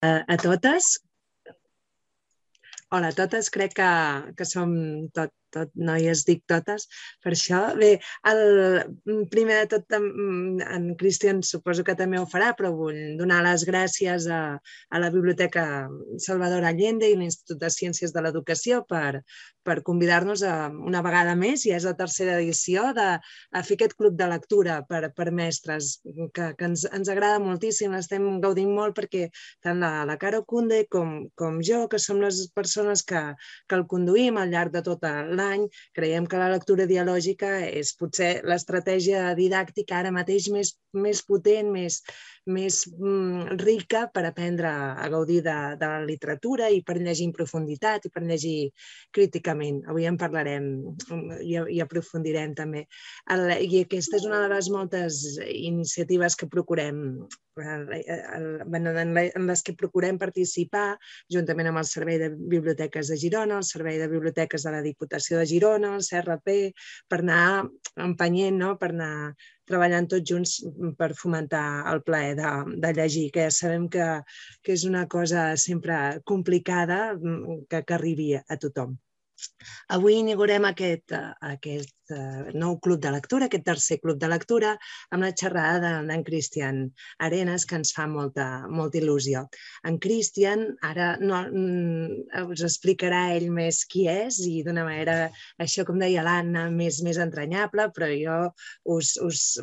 A totes. Hola a totes, crec que som tot noies, dic totes, per això. Bé, primer de tot, en Cristian suposo que també ho farà, però vull donar les gràcies a la Biblioteca Salvador Allende i l'Institut de Ciències de l'Educació per convidar-nos una vegada més, ja és la tercera edició, a fer aquest club de lectura per mestres, que ens agrada moltíssim, estem gaudint molt perquè tant la Caro Cunde com jo, que som les persones que el conduïm al llarg de tot l'any, creiem que la lectura dialògica és potser l'estratègia didàctica ara mateix més potent, més rica per aprendre a gaudir de la literatura i per llegir en profunditat i per llegir críticament. Avui en parlarem i aprofundirem també. I aquesta és una de les moltes iniciatives que procurem en les que procurem participar juntament amb el Servei de Biblioteques de Girona, el Servei de Biblioteques de la Diputació de Girona, el CRP, per anar empenyent, per anar treballant tots junts per fomentar el plaer de llegir, que ja sabem que és una cosa sempre complicada que arribi a tothom. Avui inaugurem aquest nou club de lectura, aquest tercer club de lectura, amb la xerrada d'en Cristian Arenas, que ens fa molta il·lusió. En Cristian ara us explicarà ell més qui és i d'una manera, això com deia l'Anna, més entranyable, però jo us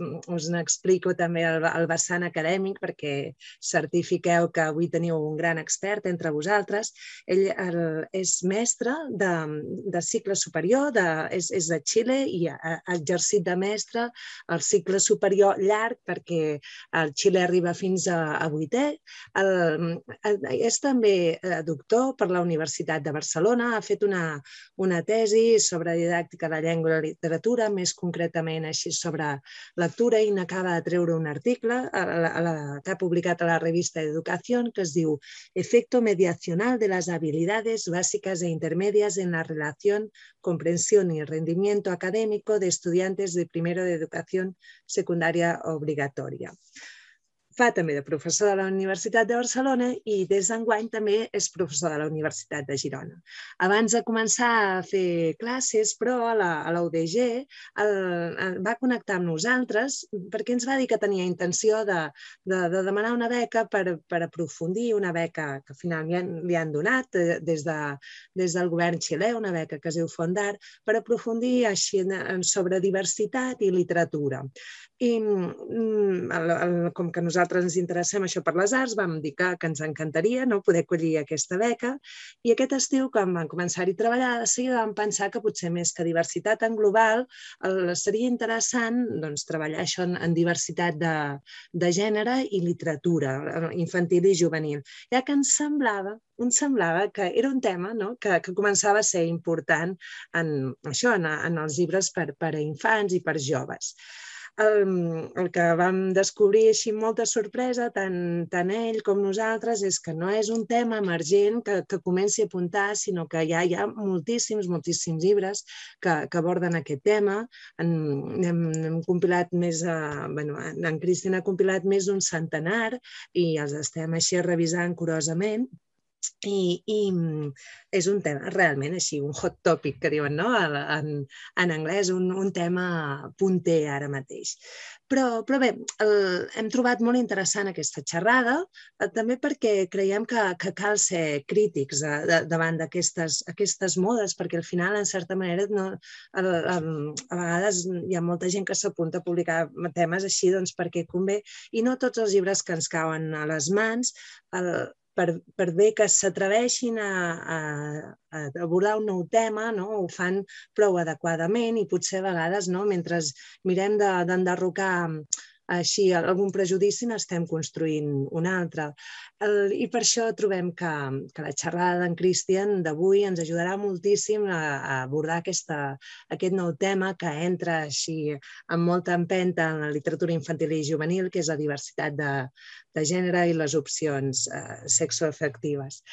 n'explico també el vessant acadèmic perquè certifiqueu que avui teniu un gran expert entre vosaltres. Ell és mestre de cicle superior, és de Xile i ha exercit de mestre al cicle superior llarg perquè el Xile arriba fins a 8è. És també doctor per la Universitat de Barcelona, ha fet una tesi sobre didàctica de la llengua i la literatura, més concretament així sobre lectura, i n'acaba de treure un article que ha publicat a la revista Educación que es diu Efecto mediacional de las habilidades básicas e intermedias en la relación, comprensión y rendimiento académico de estudiantes de primero de educación secundaria obligatoria. Fa també de professor de la Universitat de Barcelona i des d'enguany també és professor de la Universitat de Girona. Abans de començar a fer classes, però, a la UDG, va connectar amb nosaltres perquè ens va dir que tenia intenció de demanar una beca per aprofundir, una beca que finalment li han donat des del govern xilè, una beca que es diu Fondar, per aprofundir sobre diversitat i literatura. I com que nosaltres ens interessem això per les arts, vam dir que ens encantaria poder acollir aquesta beca, i aquest estiu, quan vam començar-hi a treballar, de seguida vam pensar que potser més que diversitat en global seria interessant treballar això en diversitat de gènere i literatura infantil i juvenil, ja que ens semblava que era un tema que començava a ser important en els llibres per a infants i per joves. El que vam descobrir així amb molta sorpresa, tant ell com nosaltres, és que no és un tema emergent que comenci a apuntar, sinó que ja hi ha moltíssims llibres que aborden aquest tema. Hem compilat en Cristian ha compilat més d'un centenar i els estem així revisant curosament. I és un tema realment així, un hot topic, que diuen en anglès, un tema punter ara mateix. Però bé, hem trobat molt interessant aquesta xerrada, també perquè creiem que cal ser crítics davant d'aquestes modes, perquè al final, en certa manera, a vegades hi ha molta gent que s'apunta a publicar temes així perquè convé, i no tots els llibres que ens cauen a les mans, per bé que s'atreveixin a abordar un nou tema, ho fan prou adequadament i potser a vegades, mentre mirem d'enderrocar així algun prejudici, n'estem construint un altre. I per això trobem que la xerrada d'en Cristian d'avui ens ajudarà moltíssim a abordar aquest nou tema que entra així amb molta empenta en la literatura infantil i juvenil, que és la diversitat de gènere i les opcions sexoafectives.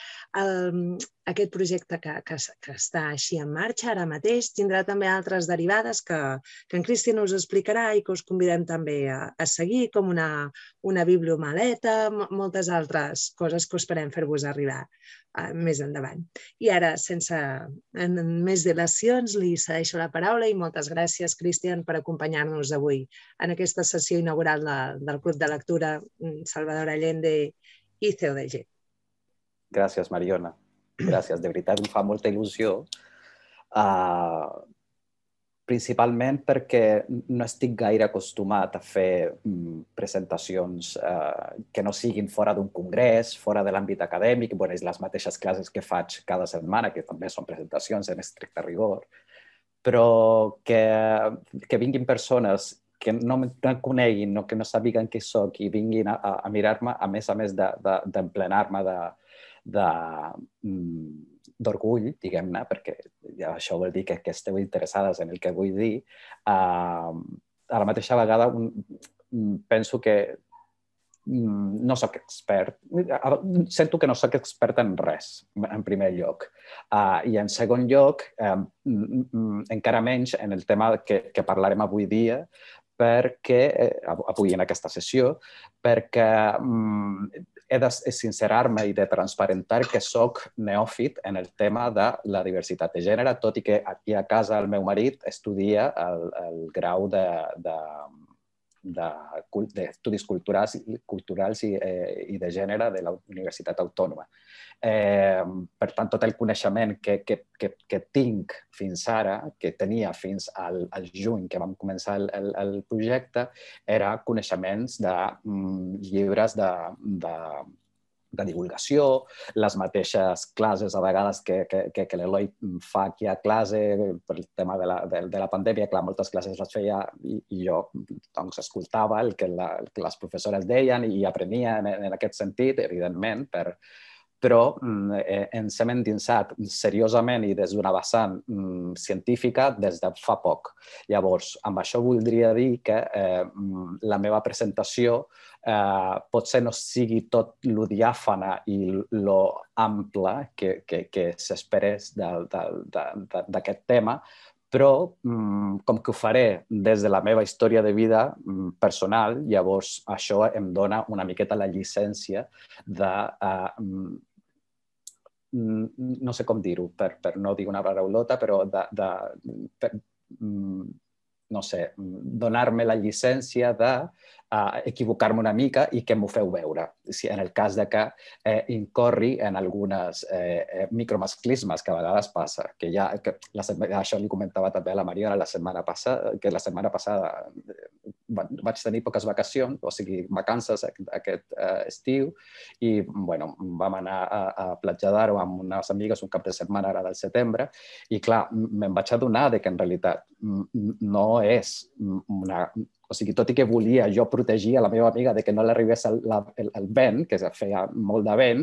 Aquest projecte que està així en marxa ara mateix tindrà també altres derivades que en Cristian us explicarà i que us convidem també a seguir, com una bibliomaleta, moltes altres moltes coses que esperem fer-vos arribar més endavant. I ara, sense més dilacions, li cedeixo la paraula i moltes gràcies, Cristian, per acompanyar-nos avui en aquesta sessió inaugural del Club de Lectura Salvador Allende i CODG. Gràcies, Mariona. Gràcies, de veritat em fa molta il·lusió. Principalment perquè no estic gaire acostumat a fer presentacions que no siguin fora d'un congrés, fora de l'àmbit acadèmic, les mateixes classes que faig cada setmana, que també són presentacions en estricte rigor, però que vinguin persones que no em coneguin o que no sàpiguen qui soc i vinguin a mirar-me, a més d'emplenar-me d'orgull, diguem-ne, perquè això vol dir que esteu interessades en el que vull dir. A la mateixa vegada penso que no soc expert. Sento que no soc expert en res, en primer lloc. I en segon lloc, encara menys en el tema que parlarem avui dia, avui en aquesta sessió, perquè he de sincerar-me i de transparentar que soc neòfit en el tema de la diversitat de gènere, tot i que aquí a casa el meu marit estudia el grau d'estudis culturals i de gènere de la Universitat Autònoma. Per tant, tot el coneixement que tinc fins ara, que tenia fins al juny que vam començar el projecte, era coneixements de llibres de divulgació, les mateixes classes a vegades que l'Eloi fa aquí a classe per el tema de la pandèmia. Clar, moltes classes les feia i jo escoltava el que les professores deien i aprenia en aquest sentit, evidentment, però ens hem endinsat seriosament i des d'una vessant científica des de fa poc. Llavors, amb això voldria dir que la meva presentació potser no sigui tot lo diàfana i lo ample que s'esperés d'aquest tema, però com que ho faré des de la meva història de vida personal, llavors això em dona una miqueta la llicència de no sé com dir-ho, per no dir una paraulota, però no sé, donar-me la llicència d'equivocar-me una mica i que m'ho feu veure. En el cas de que incorri en algunes micromasclismes que a vegades passa, això li comentava també a la Mariona la setmana passada, que la setmana passada vaig tenir poques vacacions, o sigui, vacances aquest estiu, i vam anar a Platja d'Aro amb unes amigues un cap de setmana ara del setembre, i clar, me'n vaig adonar que en realitat no és una... O sigui, tot i que volia jo protegir a la meva amiga de que no l'arribés el vent, que feia molt de vent,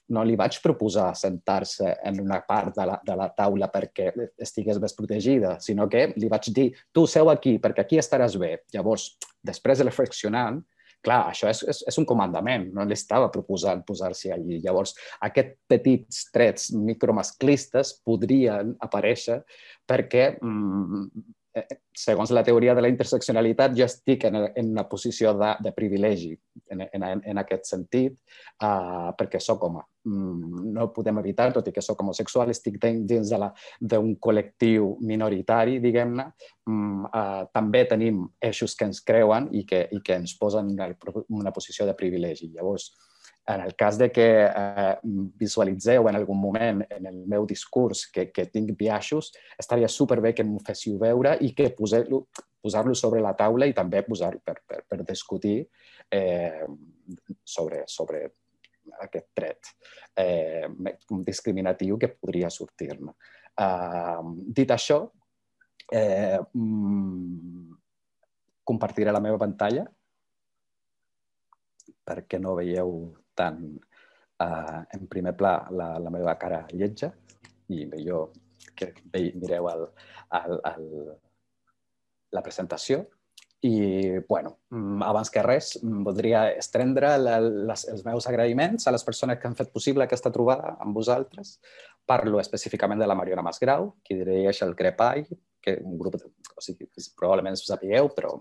no li vaig proposar sentar-se en una part de la taula perquè estigués més protegida, sinó que li vaig dir, tu seu aquí, perquè aquí estaràs bé. Llavors, després de reflexionant, clar, això és un comandament, no li estava proposant posar-s'hi allí. Llavors, aquests petits trets micromasclistes podrien aparèixer perquè segons la teoria de la interseccionalitat, jo estic en una posició de privilegi en aquest sentit, perquè soc home. No ho podem evitar, tot i que soc homosexual, estic dins d'un col·lectiu minoritari, diguem-ne. També tenim eixos que ens creuen i que ens posen en una posició de privilegi. Llavors, en el cas de que visualitzeu en algun moment en el meu discurs que tinc biaixos, estaria superbé que m'ho féssiu veure i que posar-lo sobre la taula i també per discutir sobre aquest tret discriminatiu que podria sortir-ne. Dit això, compartiré la meva pantalla perquè no veieu tant en primer pla la meva cara lletja i millor que mireu la presentació. I, abans que res, voldria estendre els meus agraïments a les persones que han fet possible aquesta trobada amb vosaltres. Parlo específicament de la Mariona Masgrau, qui dirigeix el CREPAI, que un grup, o sigui, probablement us sapigueu, però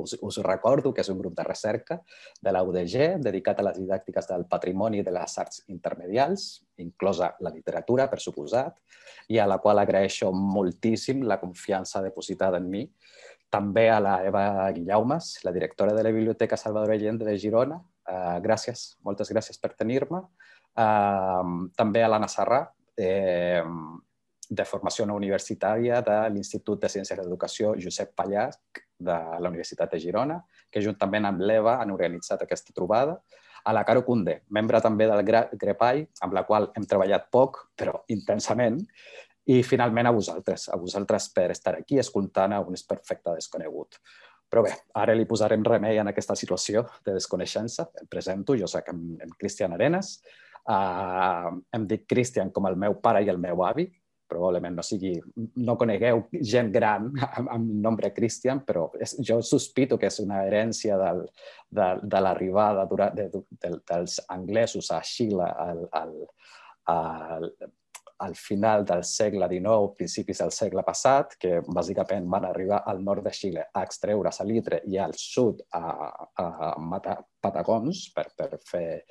us recordo que és un grup de recerca de la UDG dedicat a les didàctiques del patrimoni de les arts intermedials, inclosa la literatura, per suposat, i a la qual agraeixo moltíssim la confiança depositada en mi. També a la Eva Guillaumes, la directora de la Biblioteca Salvador Allende de Girona. Gràcies, moltes gràcies per tenir-me. També a l'Anna Sarrà, de formació no universitària de l'Institut de Ciències d'Educació Josep Pallach de la Universitat de Girona, que juntament amb l'Eva han organitzat aquesta trobada. A la Caro Cundé, membre també del GREPAI, amb la qual hem treballat poc, però intensament. I finalment a vosaltres per estar aquí escoltant a un perfecte desconegut. Però bé, ara li posarem remei en aquesta situació de desconeixença. Em presento, jo soc en Cristian Arenas. Em dic Cristian com el meu pare i el meu avi. Probablement no conegueu gent gran amb nombre Cristian, però jo sospito que és una herència de l'arribada dels anglesos a Xile al final del segle XIX, principis del segle passat, que bàsicament van arribar al nord de Xile a extreure salitre i al sud a matar patagons per fer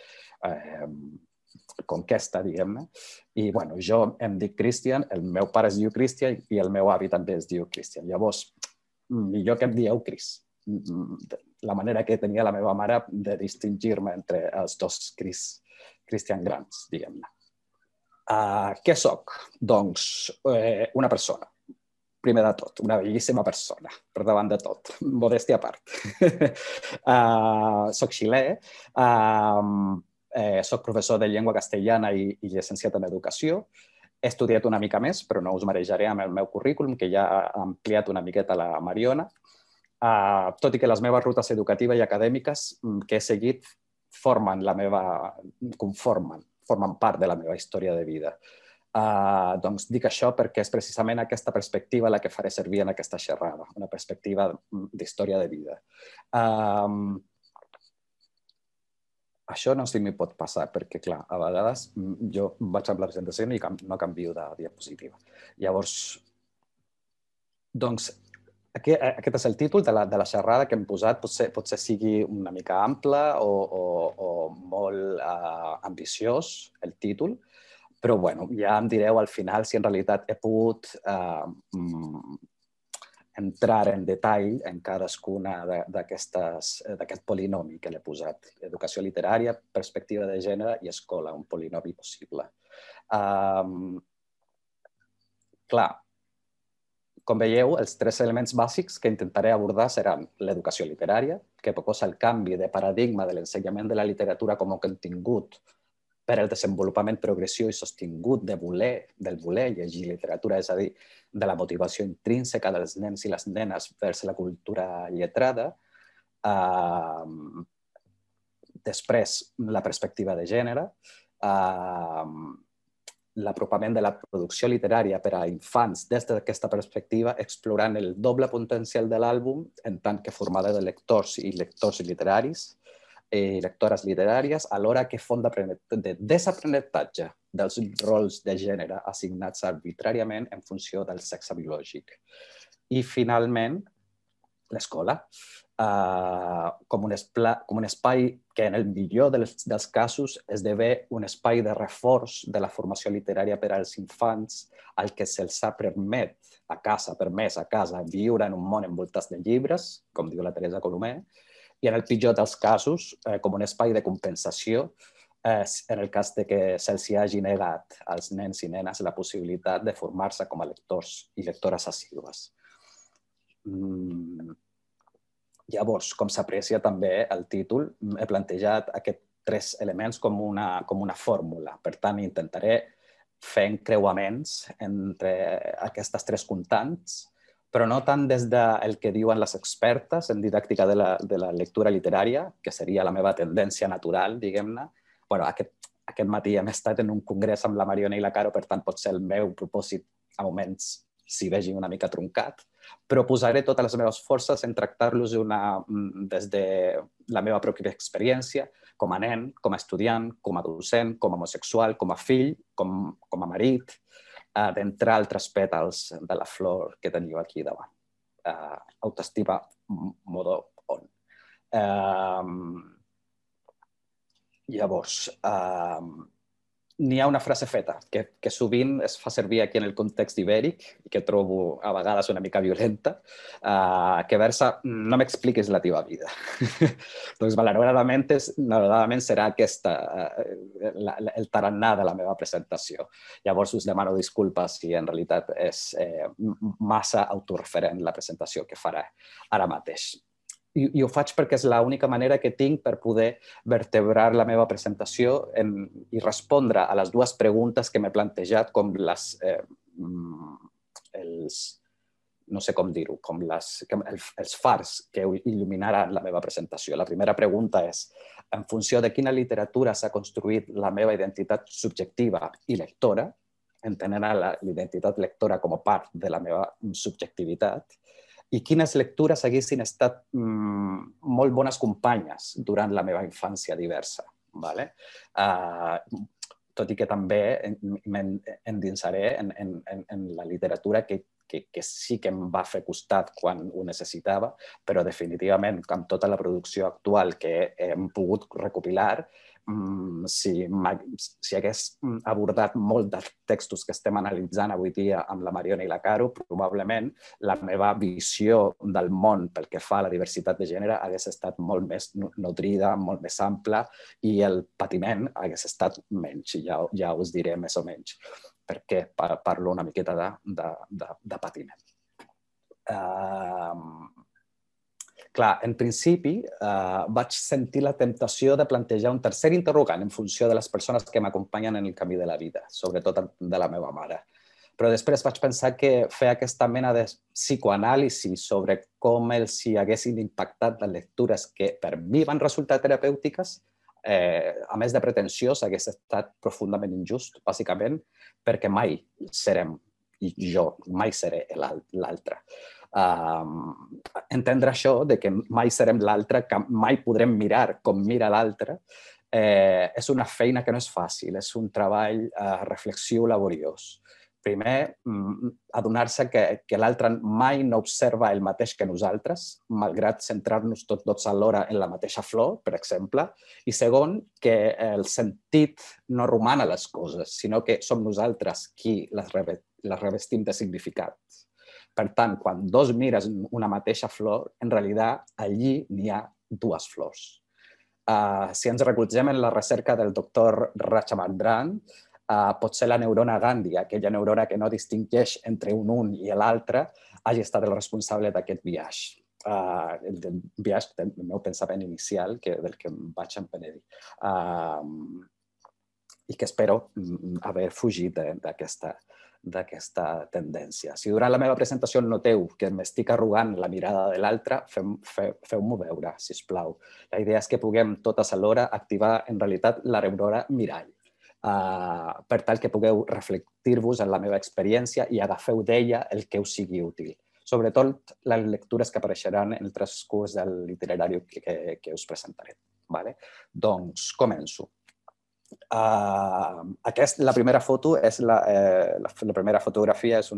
conquesta, diguem-ne. I bueno, jo em dic Cristian, el meu pare es diu Cristian i el meu avi també es diu Cristian. Llavors, millor que em dieu Cris. La manera que tenia la meva mare de distingir-me entre els dos Cristian grans, diguem-ne. Què soc? Doncs una persona. Primer de tot, una bellíssima persona, per davant de tot, modèstia a part. Soc xilè, soc professor de llengua castellana i llicenciat en educació. He estudiat una mica més, però no us marejaré amb el meu currículum, que ja ha ampliat una miqueta la Mariona. Tot i que les meves rutes educatives i acadèmiques que he seguit formen part de la meva història de vida. Doncs dic això perquè és precisament aquesta perspectiva la que faré servir en aquesta xerrada, una perspectiva d'història de vida. Això no sé si m'hi pot passar, perquè, clar, a vegades jo vaig amb la presentació i no canvio de diapositiva. Llavors, doncs, aquest és el títol de la xerrada que hem posat. Potser sigui una mica ample o molt ambiciós el títol, però bueno, ja em direu al final si en realitat he pogut entrar en detall en cadascuna d'aquest polinomi que l'he posat. Educació literària, perspectiva de gènere i escola, un polinomi possible. Clar, com veieu, els tres elements bàsics que intentaré abordar seran l'educació literària, que proposa el canvi de paradigma de l'ensenyament de la literatura com a contingut per al desenvolupament progressiu i sostingut del voler llegir literatura, és a dir, de la motivació intrínseca dels nens i les nenes vers la cultura lletrada. Després, la perspectiva de gènere, l'apropament de la producció literària per a infants des d'aquesta perspectiva, explorant el doble potencial de l'àlbum en tant que formada de lectors i lectors literaris i lectores literàries, alhora que font de desaprenentatge dels rols de gènere assignats arbitràriament en funció del sexe biològic. I, finalment, l'escola, com un espai que, en el millor dels casos, esdevé un espai de reforç de la formació literària per als infants, al que se'ls ha permès a casa viure en un món envoltat de llibres, com diu la Teresa Colomer, i en el pitjor dels casos, com un espai de compensació en el cas de que se'ls hagi negat als nens i nenes la possibilitat de formar-se com a lectors i lectores assídues. Llavors, com s'aprecia també el títol, he plantejat aquests tres elements com una fórmula. Per tant, intentaré fer encreuaments entre aquestes tres constants, però no tant des del que diuen les expertes en didàctica de la lectura literària, que seria la meva tendència natural, diguem-ne. Aquest matí hem estat en un congrés amb la Mariona i la Caro, per tant, pot ser el meu propòsit a moments s'hi vegi una mica truncat, però posaré totes les meves forces en tractar-los des de la meva pròpia experiència, com a nen, com a estudiant, com a docent, com a homosexual, com a fill, com a marit, d'entrar altres pètals de la flor que teniu aquí davant. Autoestima modo on. Llavors, n'hi ha una frase feta que sovint es fa servir aquí en el context ibèric i que trobo a vegades una mica violenta, que versa no m'expliquis la teva vida. Doncs malauradament serà aquesta el tarannà de la meva presentació. Llavors us demano disculpes si en realitat és massa autoreferent la presentació que faré ara mateix. I ho faig perquè és l'única manera que tinc per poder vertebrar la meva presentació i respondre a les dues preguntes que m'he plantejat, com no sé com dir-ho, com els fars que il·luminaran la meva presentació. La primera pregunta és, en funció de quina literatura s'ha construït la meva identitat subjectiva i lectora, entenent la identitat lectora com a part de la meva subjectivitat, i quines lectures haguessin estat molt bones companyes durant la meva infància diversa. Tot i que també m'endinsaré en la literatura que sí que em va fer costat quan ho necessitava, però definitivament, amb tota la producció actual que hem pogut recopilar, si hagués abordat molts dels textos que estem analitzant avui dia amb la Mariona i la Caro, probablement la meva visió del món pel que fa a la diversitat de gènere hagués estat molt més nutrida, molt més ampla, i el patiment hagués estat menys. Ja us diré més o menys perquè parlo una miqueta de patiment. Clar, en principi vaig sentir la temptació de plantejar un tercer interrogant en funció de les persones que m'acompanyen en el camí de la vida, sobretot de la meva mare. Però després vaig pensar que fer aquesta mena de psicoanàlisi sobre com els hi haguessin impactat les lectures que per mi van resultar terapèutiques, a més de pretensiós, hagués estat profundament injust, bàsicament, perquè mai serem, i jo mai seré l'altre. Entendre això, de que mai serem l'altre, que mai podrem mirar com mira l'altre, és una feina que no és fàcil, és un treball reflexiu laboriós. Primer, adonar-se que l'altre mai no observa el mateix que nosaltres, malgrat centrar-nos tots alhora en la mateixa flor, per exemple. I segon, que el sentit no roman a les coses, sinó que som nosaltres qui les revestim de significat. Per tant, quan dos mires una mateixa flor, en realitat allí n'hi ha dues flors. Si ens recolzem en la recerca del doctor Rajamandran, potser la neurona Gandhi, aquella neurona que no distingeix entre un i l'altre, hagi estat el responsable d'aquest viatge. El viatge del meu pensament inicial, del que em vaig empenedir. I que espero haver fugit d'aquesta tendència. Si durant la meva presentació noteu que m'estic arrugant la mirada de l'altre, feu-m'ho veure, sisplau. La idea és que puguem totes alhora activar en realitat la neurona mirall, per tal que pugueu reflectir-vos en la meva experiència i agafeu d'ella el que us sigui útil. Sobretot les lectures que apareixeran en el transcurs del literari que us presentaré. Doncs començo. La primera foto la primera fotografia és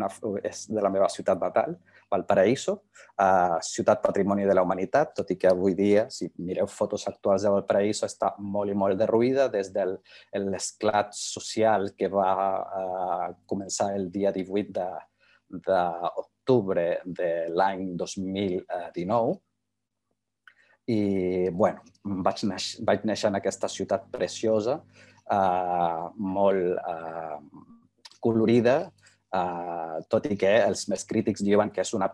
de la meva ciutat natal, Valparaíso, ciutat patrimoni de la humanitat, tot i que avui dia, si mireu fotos actuals de Valparaíso, està molt i molt derruïda des de l'esclat social que va començar el dia 18 d'octubre de l'any 2019. I, bueno, vaig néixer en aquesta ciutat preciosa, molt colorida, tot i que els més crítics diuen que en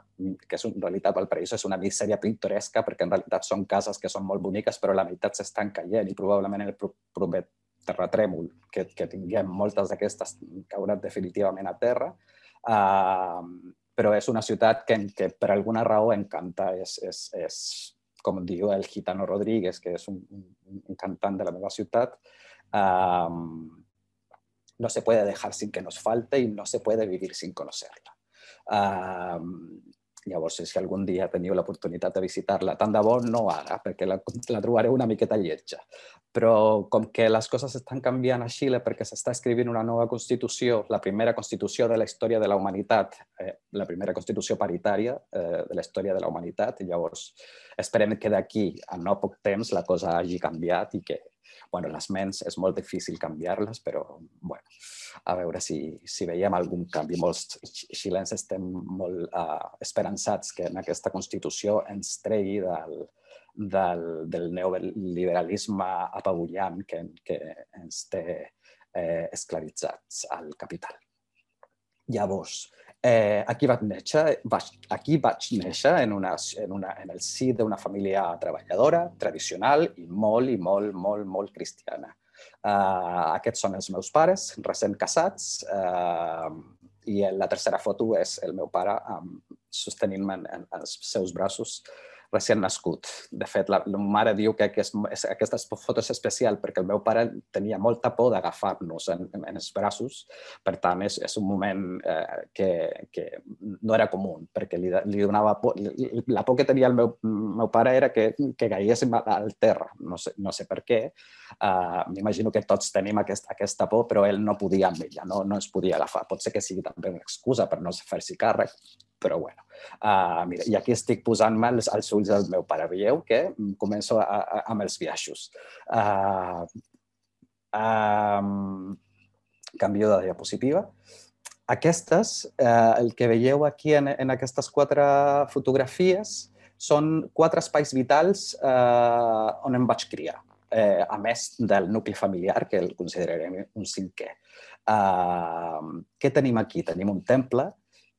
realitat Valparaíso és una misèria pintoresca, perquè en realitat són cases que són molt boniques, però la meitat s'estan caient i probablement el proper terratrèmol que tinguem, moltes d'aquestes cauran definitivament a terra. Però és una ciutat que per alguna raó encanta. És com diu el Gitano Rodríguez, que és un cantant de la meva ciutat, no se puede dejar sin que nos falte y no se puede vivir sin conocerla. Llavors, si algun dia teniu l'oportunitat de visitar-la, tant de bo no ara, perquè la trobareu una miqueta lletja. Però com que les coses estan canviant a Xile perquè s'està escrivint una nova Constitució, la primera Constitució de la història de la humanitat, la primera Constitució paritària de la història de la humanitat, i llavors esperem que d'aquí a no poc temps la cosa hagi canviat i que, bueno, les ments és molt difícil canviar-les, però, bueno, a veure si veiem algun canvi. Molts xilens estem molt esperançats que en aquesta Constitució ens tregui del neoliberalisme apabullant que ens té esclavitzats al capital. Llavors, aquí vaig néixer en el si d'una família treballadora, tradicional i molt cristiana. Aquests són els meus pares, recent casats, i la tercera foto és el meu pare sostenint-me en els seus braços recient nascut. De fet, la mare diu que aquesta foto és especial perquè el meu pare tenia molta por d'agafar-nos en els braços. Per tant, és un moment que no era comú, perquè li donava por. La por que tenia el meu pare era que caiguéssim al terra. No sé per què. M'imagino que tots tenim aquesta por, però ell no podia amb ella, no es podia agafar. Pot ser que sigui també una excusa per no fer-s'hi càrrec, però bueno. Mira, i aquí estic posant-me als ulls del meu pare. Veieu que començo amb els biaixos. Canvio de diapositiva. Aquestes, el que veieu aquí en aquestes 4 fotografies, són 4 espais vitals on em vaig criar, a més del nucli familiar, que el considerarem un 5è. Què tenim aquí? Tenim un temple,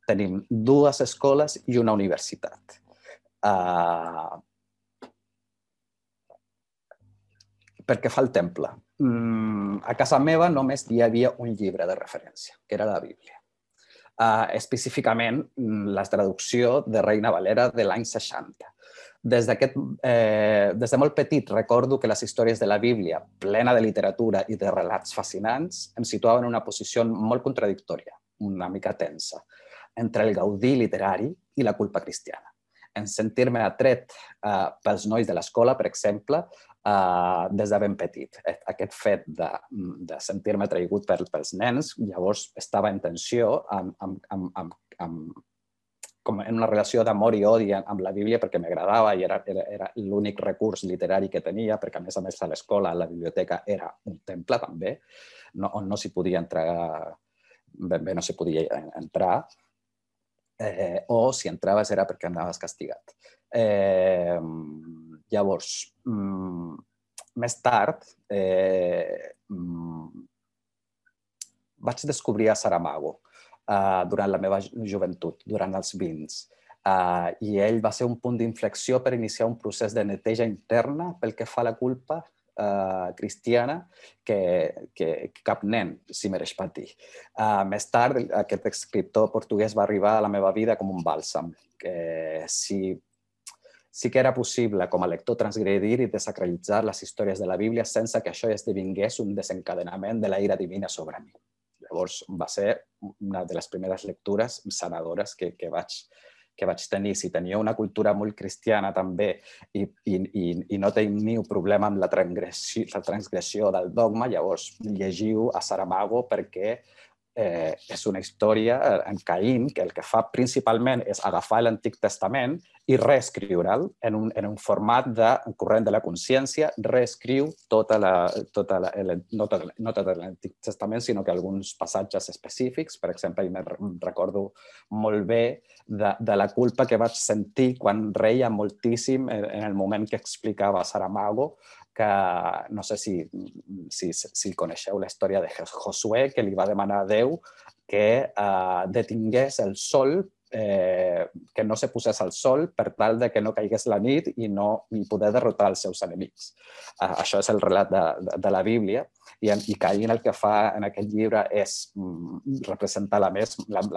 tenim 2 escoles i una universitat. Per què fa el temple? A casa meva només hi havia un llibre de referència, que era la Bíblia. Específicament, la traducció de Reina Valera de l'any 60. Des de molt petit recordo que les històries de la Bíblia, plena de literatura i de relats fascinants, em situaven en una posició molt contradictòria, una mica tensa, entre el gaudí literari i la culpa cristiana. En sentir-me atret pels nois de l'escola, per exemple, des de ben petit. Aquest fet de sentir-me atraïgut pels nens, llavors estava en tensió com en una relació d'amor i odi amb la Bíblia perquè m'agradava i era l'únic recurs literari que tenia, perquè a més a l'escola, la biblioteca era un temple també, on no s'hi podia entrar, ben bé no s'hi podia entrar, o si entraves era perquè anaves castigat. Llavors, més tard, vaig descobrir a Saramago durant la meva joventut, durant els 20. I ell va ser un punt d'inflexió per iniciar un procés de neteja interna pel que fa a la culpa cristiana que cap nen s'hi mereix patir. Més tard, aquest escriptor portuguès va arribar a la meva vida com un bàlsam. Sí que era possible, com a lector, transgredir i desacralitzar les històries de la Bíblia sense que això esdevingués un desencadenament de la ira divina sobre mi. Llavors, va ser una de les primeres lectures sanadores que vaig tenir. Si tenia una cultura molt cristiana també i no teniu problema amb la transgressió del dogma, llavors llegiu a Saramago perquè és una història en Caín que el que fa principalment és agafar l'Antic Testament i reescriure'l en un format de corrent de la consciència, reescriu no tot l'Antic Testament, sinó que alguns passatges específics. Per exemple, me'n recordo molt bé de la culpa que vaig sentir quan reia moltíssim en el moment que explicava Saramago, que no sé si coneixeu la història de Josué, que li va demanar a Déu que detingués el sol, que no se posés al sol per tal de que no caigués la nit i poder derrotar els seus enemics. Això és el relat de la Bíblia i Caín el que fa en aquest llibre és representar la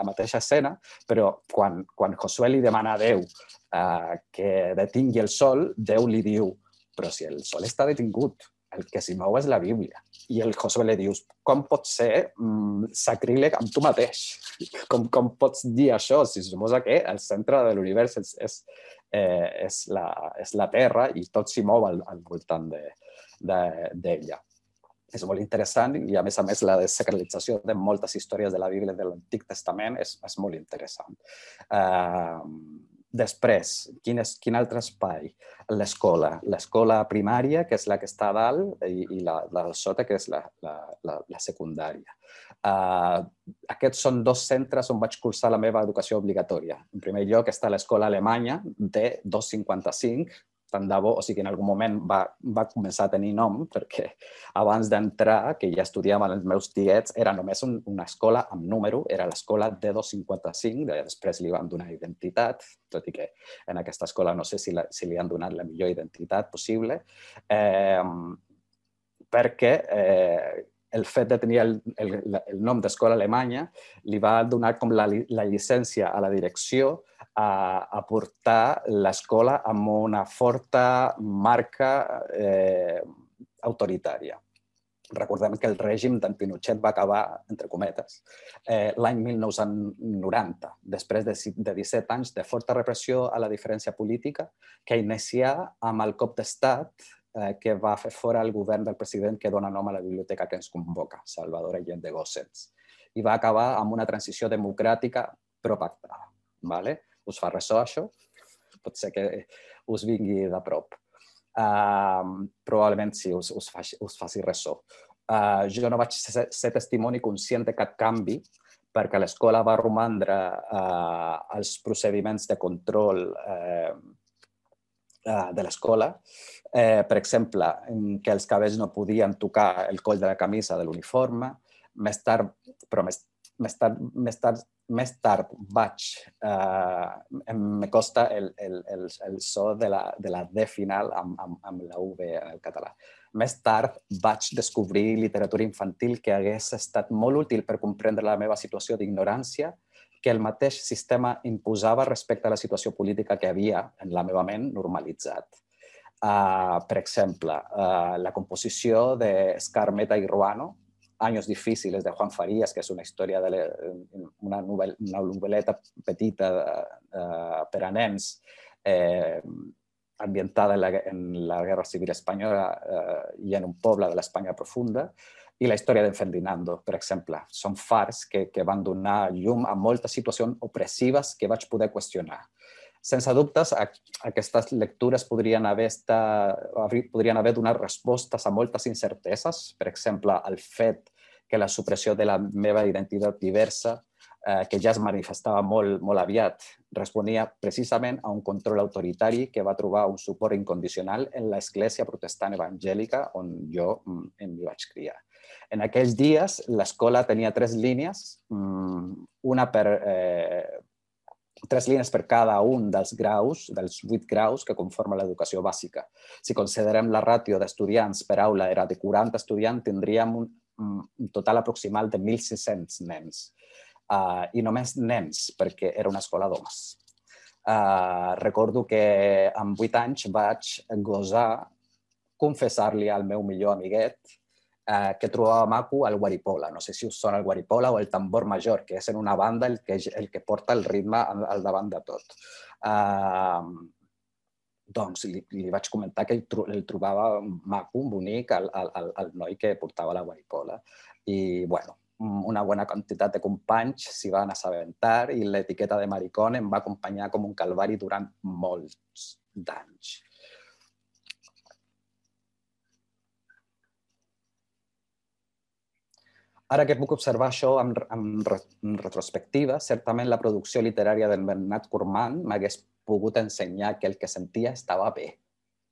mateixa escena, però quan Josué li demana a Déu que detingui el sol, Déu li diu: però si el sol està detingut, el que s'hi mou és la Bíblia. I el Josué li dius, com pot ser sacríleg amb tu mateix? Com pots dir això? Si suposa que el centre de l'univers és la Terra i tot s'hi mou al voltant d'ella. És molt interessant i, a més, la desacralització de moltes històries de la Bíblia de l'Antic Testament és molt interessant. Després, quin altre espai? L'escola. L'escola primària, que és la que està a dalt, i la de sota, que és la secundària. Aquests són dos centres on vaig cursar la meva educació obligatòria. En primer lloc està l'escola alemanya de 255, tant de bo, o sigui, en algun moment va començar a tenir nom, perquè abans d'entrar, que ja estudiaven els meus tiets, era només una escola amb número, era l'escola D255, després li van donar identitat, tot i que en aquesta escola no sé si li han donat la millor identitat possible, perquè el fet de tenir el nom d'escola alemanya li va donar com la llicència a la direcció a portar l'escola amb una forta marca autoritària. Recordem que el règim d'en Pinochet va acabar, entre cometes, l'any 1990, després de 17 anys de forta repressió a la diferència política, que inicià amb el cop d'estat que va fer fora el govern del president que dona nom a la biblioteca que ens convoca, Salvador Allende Gossens, i va acabar amb una transició democràtica propactada. Us fa ressò, això? Pot ser que us vingui de prop. Probablement sí, us faci ressò. Jo no vaig ser testimoni conscient de cap canvi perquè l'escola va romandre als procediments de control de l'escola. Per exemple, que els cabells no podien tocar el coll de la camisa de l'uniforme. Més tard me costa el so de la D final amb la V en el català. Més tard vaig descobrir literatura infantil que hagués estat molt útil per comprendre la meva situació d'ignorància que el mateix sistema imposava respecte a la situació política que havia, en la meva ment, normalitzat. Per exemple, la composició d'Scarmeta i Ruano, Años difíciles, de Juan Farías, que és una història una novel·leta petita per a nens ambientada en la Guerra Civil Espanyola i en un poble de l'Espanya profunda, i la història d'en Ferdinando, per exemple. Són fars que van donar llum a moltes situacions opressives que vaig poder qüestionar. Sense dubtes, aquestes lectures podrien haver donat respostes a moltes incerteses. Per exemple, el fet que la supressió de la meva identitat diversa, que ja es manifestava molt aviat, responia precisament a un control autoritari que va trobar un suport incondicional en l'església protestant evangèlica on jo m'hi vaig criar. En aquells dies, l'escola tenia 3 línies, 3 línies per cada un dels 8 graus que conformen l'educació bàsica. Si considerem la ràtio d'estudiants per aula era de 40 estudiants, tindríem un total aproximal de 1.600 nens. I només nens, perquè era una escola d'homes. Recordo que amb 8 anys vaig gosar confessar-li al meu millor amiguet que trobava maco el guaripola. No sé si us sona el guaripola o el tambor major, que és en una banda el que porta el ritme al davant de tot. Doncs li vaig comentar que el trobava maco, bonic, el noi que portava la guaripola. I, bueno, una bona quantitat de companys s'hi van assabentar i l'etiqueta de maricón em va acompanyar com un calvari durant molts d'anys. Ara que puc observar això en retrospectiva, certament la producció literària d'en Bernat Cormant m'hagués pogut ensenyar que el que sentia estava bé,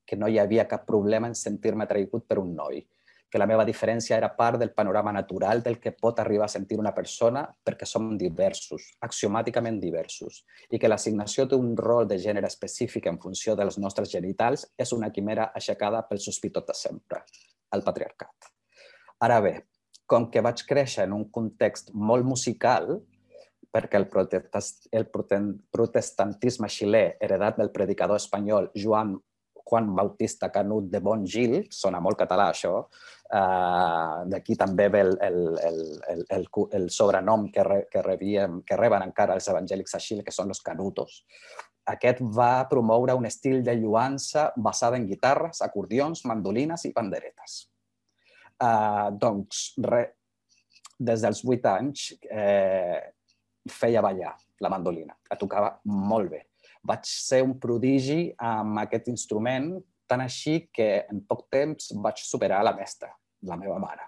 que no hi havia cap problema en sentir-me atraïgut per un noi, que la meva diferència era part del panorama natural del que pot arribar a sentir una persona perquè som diversos, axiomàticament diversos, i que l'assignació d'un rol de gènere específic en funció dels nostres genitals és una quimera aixecada pel sospitós de sempre, el patriarcat. Ara bé, com que vaig créixer en un context molt musical, perquè el protestantisme xilè, heredat del predicador espanyol Joan Juan Bautista Canut de Bongil, sona molt català això, d'aquí també ve el sobrenom que reben encara els evangèlics a Xile, que són los canutos. Aquest va promoure un estil de lluança basada en guitarres, acordions, mandolines i panderetes. Doncs, des dels 8 anys feia ballar la mandolina, la tocava molt bé. Vaig ser un prodigi amb aquest instrument, tant així que en poc temps vaig superar la mestra, la meva mare.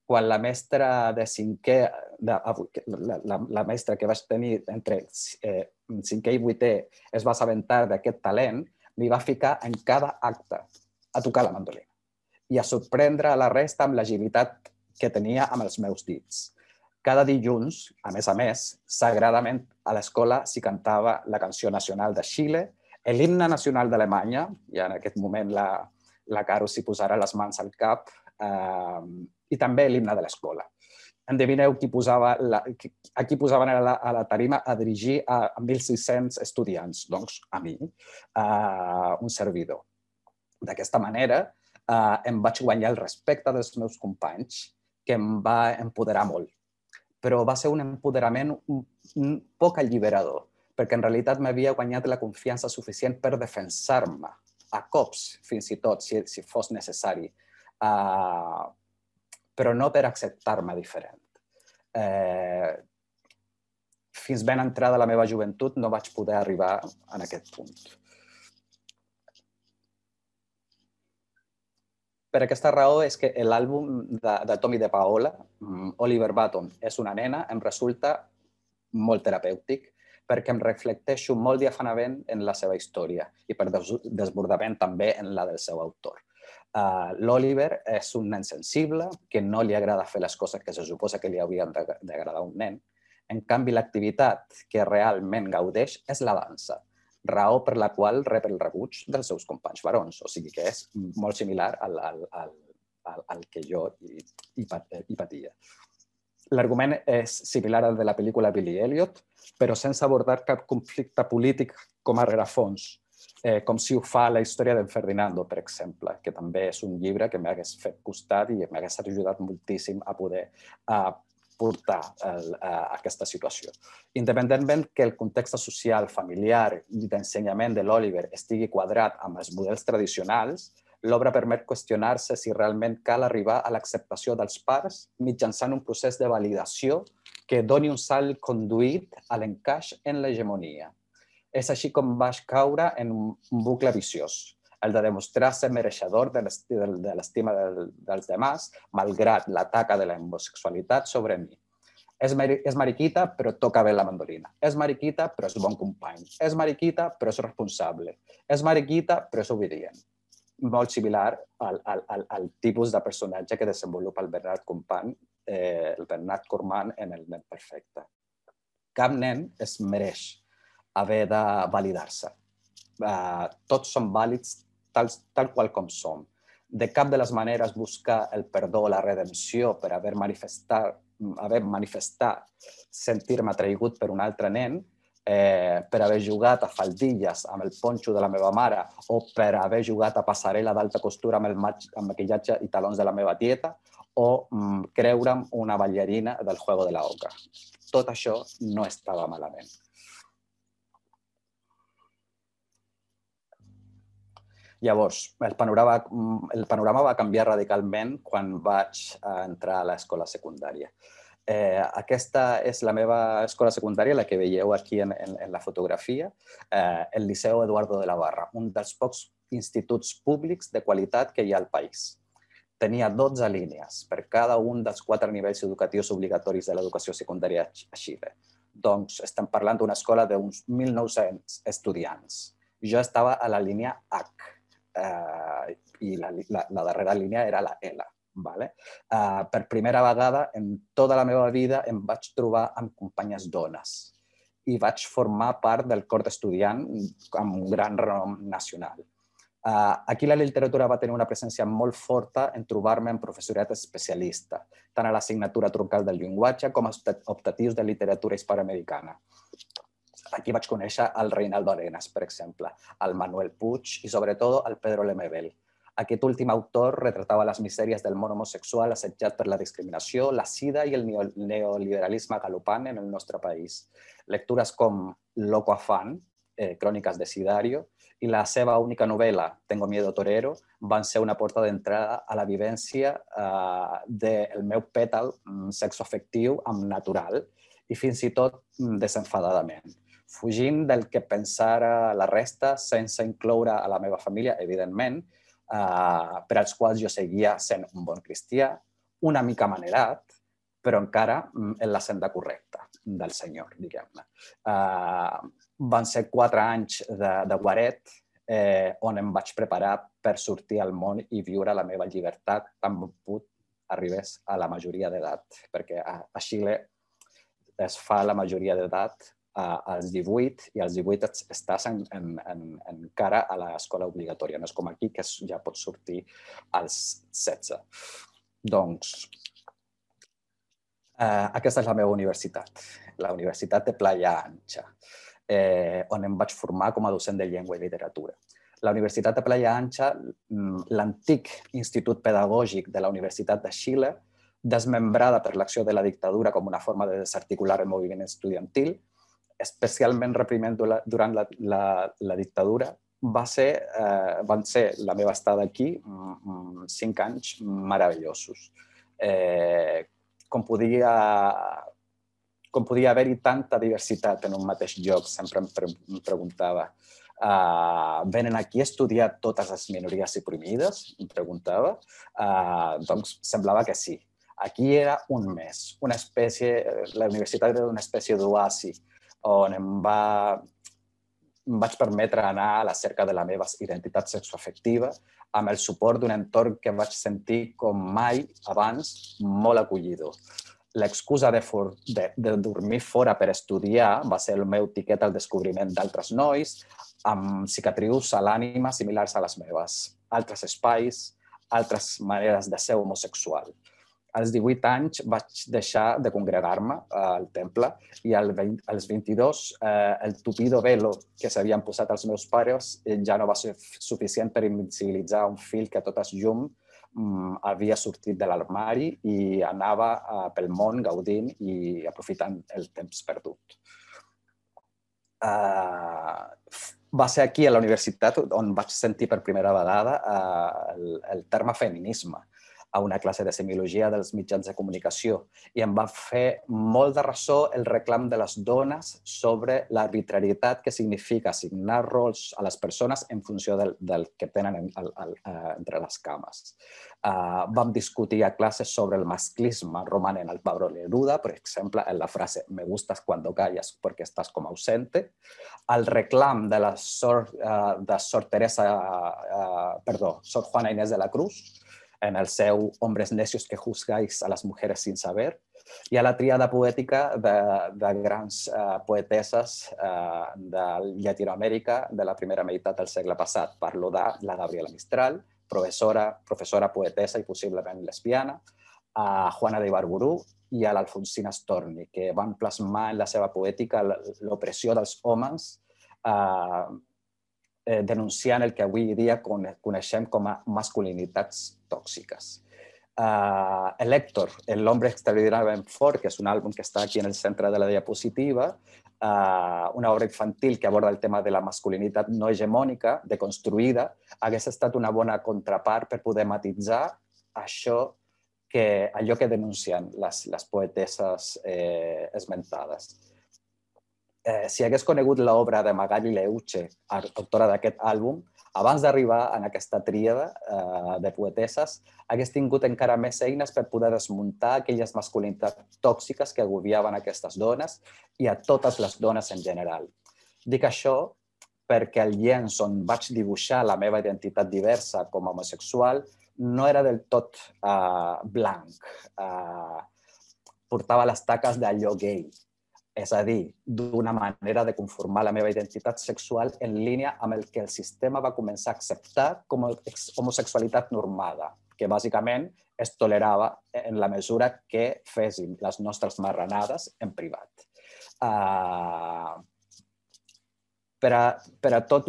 Quan la mestra de cinquè, la mestra que vaig tenir entre 5è i 8è es va assabentar d'aquest talent, m'hi va ficar en cada acte a tocar la mandolina i a sorprendre a la resta amb l'agilitat que tenia amb els meus dits. Cada dilluns, a més, sagradament a l'escola s'hi cantava la canció nacional de Xile, l'himne nacional d'Alemanya, i en aquest moment la Caro s'hi posarà les mans al cap, i també l'himne de l'escola. Endevineu qui posaven a la tarima a dirigir a 1.600 estudiants? Doncs a mi, un servidor. D'aquesta manera, em vaig guanyar el respecte dels meus companys, que em va empoderar molt. Però va ser un empoderament poc alliberador, perquè en realitat m'havia guanyat la confiança suficient per defensar-me, a cops, fins i tot, si fos necessari, però no per acceptar-me diferent. Fins ben entrada la meva joventut no vaig poder arribar en aquest punt. Per aquesta raó és que l'àlbum de Tommy de Paola, Oliver Button és una nena, em resulta molt terapèutic perquè em reflecteixo molt diafanament en la seva història i per desbordament també en la del seu autor. L'Oliver és un nen sensible que no li agrada fer les coses que se suposa que li haurien d'agradar a un nen. En canvi, l'activitat que realment gaudeix és la dansa, raó per la qual rep el rebuig dels seus companys barons. O sigui que és molt similar al que jo hi patia. L'argument és similar al de la pel·lícula Billy Elliot, però sense abordar cap conflicte polític com a rerefons, com si ho fa la història d'en Ferdinando, per exemple, que també és un llibre que m'hagués fet costat i m'hagués ajudat moltíssim a poder portar aquesta situació. Independentment que el context social, familiar i d'ensenyament de l'Oliver estigui quadrat amb els models tradicionals, l'obra permet qüestionar-se si realment cal arribar a l'acceptació dels pares mitjançant un procés de validació que doni un salt conduït a l'encaix en l'hegemonia. És així com vaig caure en un bucle viciós, el de demostrar ser mereixedor de l'estima dels demás, malgrat la taca de la homosexualitat sobre mi. És mariquita, però toca bé la mandolina. És mariquita, però és bon company. És mariquita, però és responsable. És mariquita, però és obedient. Molt similar al tipus de personatge que desenvolupa el Bernard Cornman en El nen perfecte. Cap nen es mereix haver de validar-se. Tots som vàlids tal qual com som. De cap de les maneres buscar el perdó o la redempció per haver manifestat sentir-me atraïgut per un altre nen, per haver jugat a faldilles amb el ponxo de la meva mare o per haver jugat a passarel·la d'alta costura amb maquillatge i talons de la meva tieta o creure'm una ballarina del Juego de la Oca. Tot això no estava malament. Llavors, el panorama va canviar radicalment quan vaig entrar a l'escola secundària. Aquesta és la meva escola secundària, la que veieu aquí en la fotografia, el Liceu Eduardo de la Barra, un dels pocs instituts públics de qualitat que hi ha al país. Tenia 12 línies per cada un dels 4 nivells educatius obligatoris de l'educació secundària a Xile. Doncs estem parlant d'una escola d'uns 1.900 estudiants. Jo estava a la línia H, i la darrera línia era la L. Per primera vegada en tota la meva vida em vaig trobar amb companyes dones i vaig formar part del cor d'estudiant amb un gran renom nacional. Aquí la literatura va tenir una presència molt forta en trobar-me amb professorat especialista, tant a l'assignatura troncal del llenguatge com als optatius de literatura hispanoamericana. Aquí vaig conèixer el Reinaldo Arenas, per exemple, el Manuel Puig i, sobretot, el Pedro Lemebel. Aquest últim autor retratava les misèries del món homosexual assetjat per la discriminació, la sida i el neoliberalisme galopant en el nostre país. Lectures com Loco Afán, Cròniques de Sidario, i la seva única novel·la, Tengo miedo torero, van ser una porta d'entrada a la vivència del meu pètal sexoafectiu amb natural i fins i tot desenfadadament, fugint del que pensara la resta sense incloure a la meva família, evidentment, per als quals jo seguia sent un bon cristià, una mica manerat, però encara en la senda correcta del Senyor, diguem-ne. Van ser 4 anys de guaret on em vaig preparar per sortir al món i viure la meva llibertat tan bon arribés a la majoria d'edat, perquè a Xile es fa la majoria d'edat als 18 i als 18 estàs encara a l'escola obligatòria. No és com aquí, que ja pots sortir als 16. Doncs aquesta és la meva universitat, la Universitat de Playa Ancha, on em vaig formar com a docent de llengua i literatura. La Universitat de Playa Ancha, l'antic institut pedagògic de la Universitat de Xile, desmembrada per l'acció de la dictadura com una forma de desarticular el moviment estudiantil, especialment reprimint durant la dictadura, van ser la meva estada aquí 5 anys meravellosos. Com podia haver-hi tanta diversitat en un mateix lloc, sempre em preguntava. Venen aquí a estudiar totes les minories oprimides? Em preguntava. Doncs semblava que sí. Aquí era un mes, la universitat era una espècie d'oasi on em vaig permetre anar a la cerca de la meva identitat sexoafectiva amb el suport d'un entorn que vaig sentir com mai abans molt acollidor. L'excusa de dormir fora per estudiar va ser el meu tiquet al descobriment d'altres nois amb cicatrius a l'ànima similars a les meves, altres espais, altres maneres de ser homosexual. Als 18 anys vaig deixar de congregar-me al temple i als 22 el tupido velo que s'havien posat els meus pares ja no va ser suficient per invisibilitzar un fil que a totes llum havia sortit de l'armari i anava pel món gaudint i aprofitant el temps perdut. Va ser aquí a la universitat on vaig sentir per primera vegada el terme feminisme a una classe de semiologia dels mitjans de comunicació i em va fer molt de ressò el reclam de les dones sobre l'arbitrarietat que significa assignar rols a les persones en funció del que tenen entre les cames. Vam discutir a classes sobre el masclisme romanent al Pablo Neruda, per exemple, en la frase «me gustas cuando callas porque estás como ausente», el reclam de la Sor Juana Inés de la Cruz, en el seu Hombres necios que juzgáis a las mujeres sin saber, i a la tríada poètica de grans poeteses de Llatinoamèrica de la primera meitat del segle passat. Parlo de la Gabriela Mistral, professora, poetesa i possiblement lesbiana, a Juana de Ibarburu i a l'Alfonsina Storni, que van plasmar en la seva poètica l'opressió dels homes denunciant el que avui dia coneixem com a masculinitats tòxiques. El Héctor, El hombre extraordinariamente fort, que és un àlbum que està aquí en el centre de la diapositiva, una obra infantil que aborda el tema de la masculinitat no hegemònica, deconstruïda, hagués estat una bona contrapart per poder matisar allò que denuncien les poeteses esmentades. Si hagués conegut l'obra de Magali Leuche, autora d'aquest àlbum, abans d'arribar en aquesta tríada de poeteses, hagués tingut encara més eines per poder desmuntar aquelles masculinitats tòxiques que agobiaven aquestes dones i a totes les dones en general. Dic això perquè el llenç on vaig dibuixar la meva identitat diversa com a homosexual no era del tot blanc. Portava les taques d'allò gay. És a dir, d'una manera de conformar la meva identitat sexual en línia amb el que el sistema va començar a acceptar com a homosexualitat normada, que bàsicament es tolerava en la mesura que fessin les nostres marranades en privat. Per a tot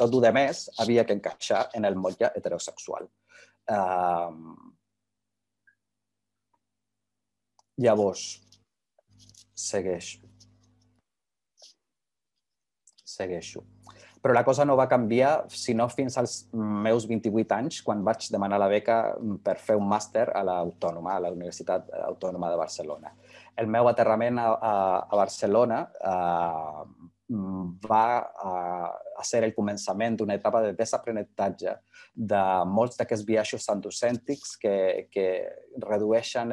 el demés havia que encaixar en el motlle heterosexual. Llavors, segueixo. Però la cosa no va canviar sinó fins als meus 28 anys, quan vaig demanar la beca per fer un màster a l'Autònoma, a la Universitat Autònoma de Barcelona. El meu aterrament a Barcelona va ser el començament d'una etapa de desaprenentatge de molts d'aquests biaixos androcèntrics que redueixen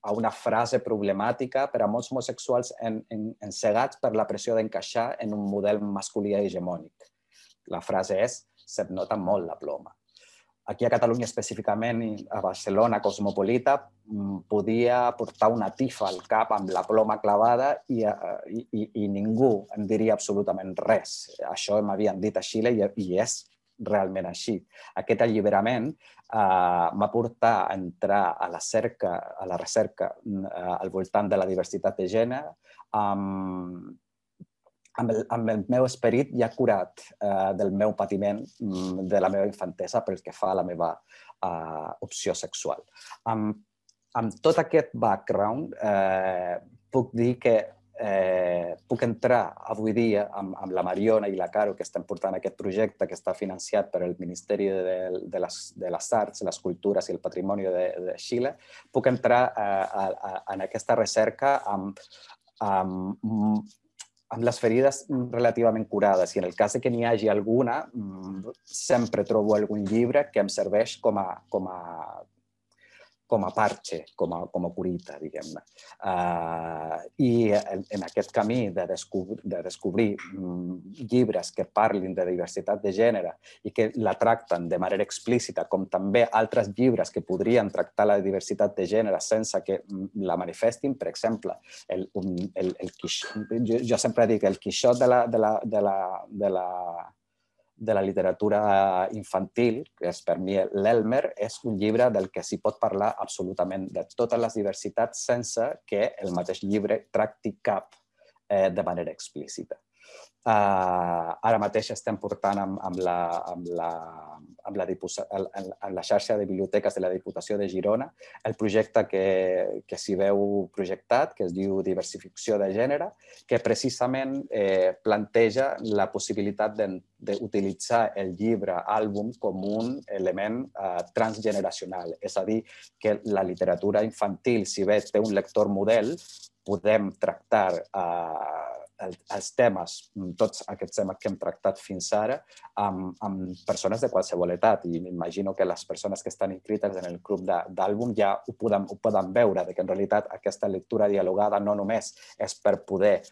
a una frase problemàtica per a molts homosexuals encegats per la pressió d'encaixar en un model masculí hegemònic. La frase és: se't nota molt la ploma. Aquí a Catalunya específicament, a Barcelona cosmopolita, podia portar una tifa al cap amb la ploma clavada i ningú em diria absolutament res. Això m'havien dit a Xile i és realment així. Aquest alliberament m'ha portat a entrar a la recerca al voltant de la diversitat de gènere amb el meu esperit ja curat del meu patiment de la meva infantesa pel que fa a la meva opció sexual. Amb tot aquest background, puc dir que puc entrar avui dia amb la Mariona i la Caro, que estem portant aquest projecte que està financiat per el Ministeri de les Arts, les Cultures i el Patrimoni de Xile, puc entrar en aquesta recerca amb les ferides relativament curades. I en el cas que n'hi hagi alguna, sempre trobo algun llibre que em serveix com a parche, com a curita, diguem-ne. I en aquest camí de descobrir llibres que parlin de diversitat de gènere i que la tracten de manera explícita, com també altres llibres que podrien tractar la diversitat de gènere sense que la manifestin, per exemple, jo sempre dic el Quixot de la literatura infantil, que és per mi l'Elmer, és un llibre del que s'hi pot parlar absolutament de totes les diversitats sense que el mateix llibre tracti cap de manera explícita. Ara mateix estem portant amb la xarxa de biblioteques de la Diputació de Girona el projecte que s'hi veu projectat, que es diu Diversificació de Gènere, que precisament planteja la possibilitat d'utilitzar el llibre àlbum com un element transgeneracional. És a dir, que la literatura infantil, si bé té un lector model, podem tractar els temes, tots aquests temes que hem tractat fins ara, amb persones de qualsevol edat. I m'imagino que les persones que estan inscrites en el club d'àlbum ja ho poden veure, que en realitat aquesta lectura dialogada no només és per poder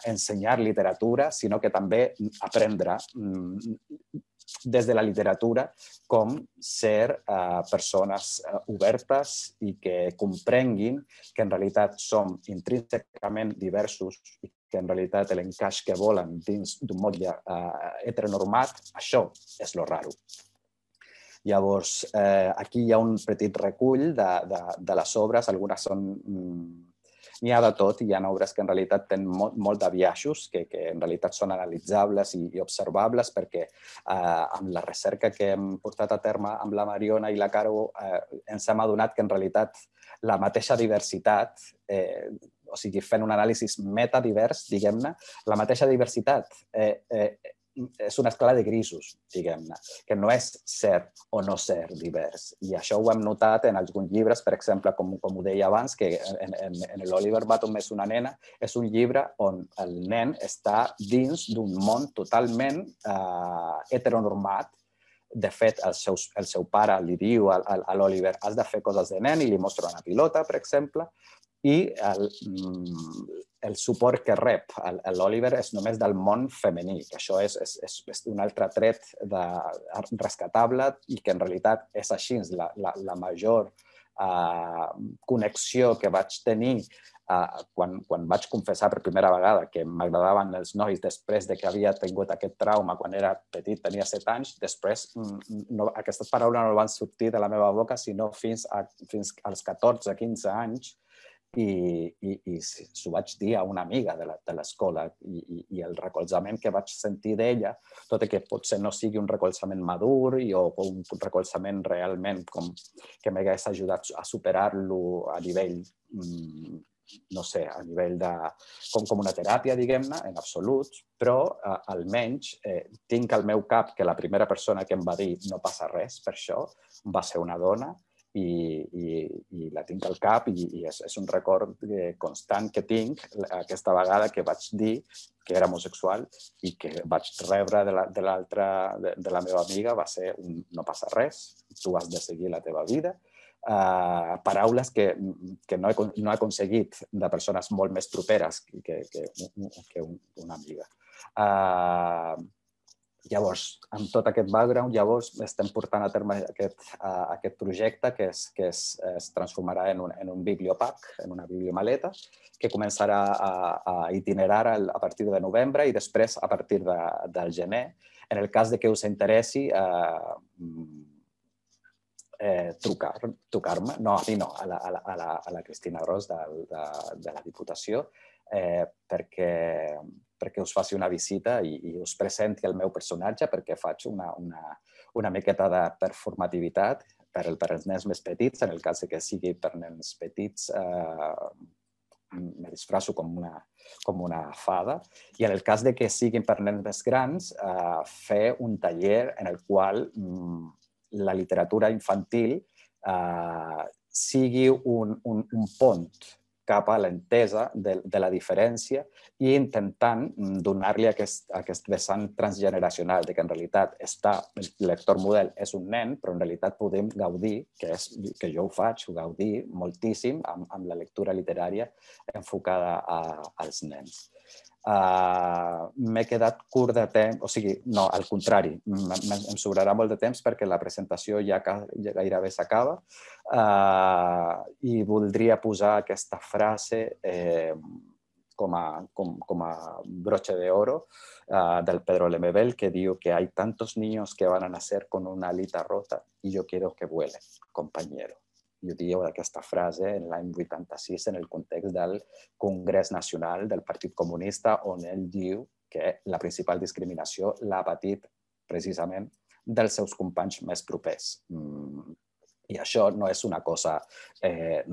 ensenyar literatura, sinó que també aprendre des de la literatura com ser persones obertes i que comprenguin que en realitat som intrínsecament diversos i que en realitat l'encaix que volen dins d'un motlle heteronormat, això és lo raro. Llavors, aquí hi ha un petit recull de les obres, algunes són... N'hi ha de tot, hi ha obres que en realitat tenen molt de biaixos, que en realitat són analitzables i observables, perquè amb la recerca que hem portat a terme amb la Mariona i la Caro ens hem adonat que en realitat la mateixa diversitat, o sigui, fent un anàlisi metadivers, diguem-ne, la mateixa diversitat és una escala de grisos, diguem-ne, que no és ser o no ser divers. I això ho hem notat en alguns llibres, per exemple, com ho deia abans, que en l'Oliver Bottom és una nena, és un llibre on el nen està dins d'un món totalment heteronormat. De fet, el seu pare li diu a l'Oliver has de fer coses de nen i li mostra una pilota, per exemple, i el suport que rep l'Oliver és només del món femení, que això és un altre tret rescatable i que en realitat és així. La major connexió que vaig tenir quan vaig confessar per primera vegada que m'agradaven els nois després que havia tingut aquest trauma quan era petit, tenia 7 anys, després aquestes paraules no van sortir de la meva boca sinó fins als 14-15 anys, i s'ho vaig dir a una amiga de l'escola i el recolzament que vaig sentir d'ella, tot i que potser no sigui un recolzament madur o un recolzament realment que m'hagués ajudat a superar-lo a nivell, no sé, a nivell de com una teràpia, diguem-ne, en absolut, però almenys tinc al meu cap que la primera persona que em va dir no passa res per això va ser una dona, i la tinc al cap i és un record constant que tinc aquesta vegada que vaig dir que era homosexual i que vaig rebre de la meva amiga va ser un no passa res, tu has de seguir la teva vida. Paraules que no he aconseguit de persones molt més properes que una amiga. Llavors, amb tot aquest background, estem portant a terme aquest projecte que es transformarà en un bibliopack, en una bibliomaleta, que començarà a itinerar a partir de novembre i després a partir del gener. En el cas de que us interessi, trucar-me, no, a mi no, a la Cristina Gros de la Diputació, perquè us faci una visita i us presenti el meu personatge, perquè faig una miqueta de performativitat per als nens més petits. En el cas que sigui per nens petits, me disfrasso com una fada. I en el cas que siguin per nens més grans, fer un taller en el qual la literatura infantil sigui un pont cap a l'entesa de la diferència i intentant donar-li aquest vessant transgeneracional de que en realitat el lector model és un nen, però en realitat podem gaudir, que jo ho faig, gaudir moltíssim amb la lectura literària enfocada als nens. M'he quedat curt de temps, o sigui, no, al contrari, em sobrarà molt de temps perquè la presentació ja gairebé s'acaba i voldria posar aquesta frase com a broche de oro del Pedro Lemebel, que diu que hay tantos niños que van a nacer con una alita rota y yo quiero que vuelen, compañero. I ho diu aquesta frase en l'any 86 en el context del Congrés Nacional del Partit Comunista, on ell diu que la principal discriminació l'ha patit precisament dels seus companys més propers. I això no és una cosa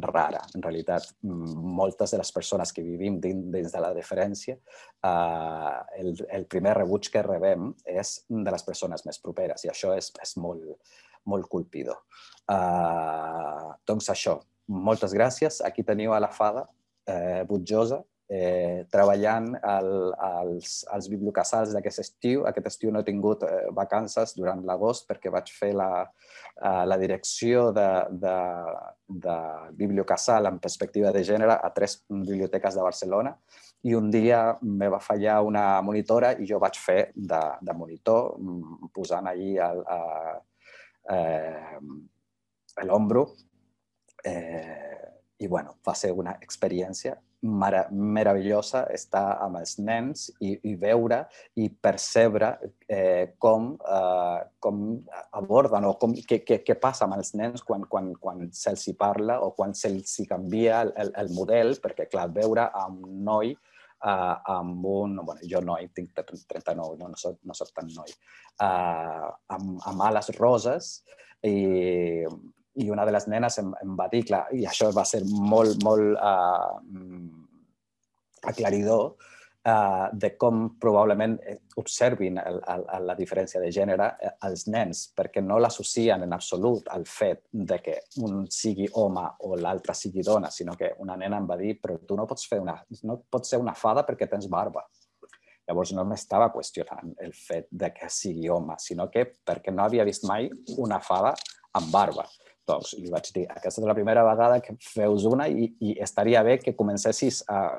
rara. En realitat, moltes de les persones que vivim dins de la diferència, el primer rebuig que rebem és de les persones més properes i això és molt colpidor. Doncs això, moltes gràcies. Aquí teniu a la Fada Butjosa treballant als bibliocasals d'aquest estiu. Aquest estiu no he tingut vacances durant l'agost perquè vaig fer la direcció de bibliocasal en perspectiva de gènere a 3 biblioteques de Barcelona i un dia me va fallar una monitora i jo vaig fer de monitor posant allí l'ombro i bueno, va ser una experiència meravellosa estar amb els nens i veure i percebre com aborden o què passa amb els nens quan se'ls parla o quan se'ls canvia el model, perquè clar, veure un noi amb un... jo noi, tinc 39, no soc tan noi. Amb ales roses i una de les nenes em va dir, clar, i això va ser molt aclaridor, de com probablement observin la diferència de gènere als nens, perquè no l'associen en absolut al fet de que un sigui home o l'altre sigui dona, sinó que una nena em va dir però tu no pots ser una fada perquè tens barba. Llavors no m'estava qüestionant el fet de que sigui home, sinó que perquè no havia vist mai una fada amb barba. Doncs li vaig dir, aquesta és la primera vegada que feus una i estaria bé que comencessis a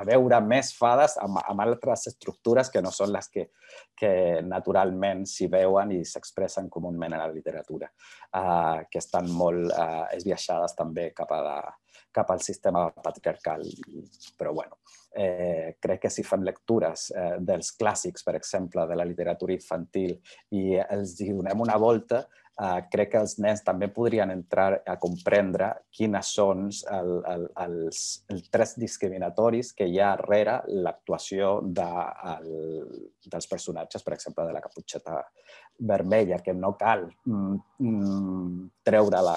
veure més fades amb altres estructures que no són les que naturalment s'hi veuen i s'expressen comúment en la literatura, que estan molt esbiaixades també cap al sistema patriarcal. Però bueno, crec que si fem lectures dels clàssics, per exemple, de la literatura infantil i els donem una volta, crec que els nens també podrien entrar a comprendre quines són els trets discriminatoris que hi ha darrere l'actuació dels personatges, per exemple, de la Caputxeta Vermella, que no cal treure-la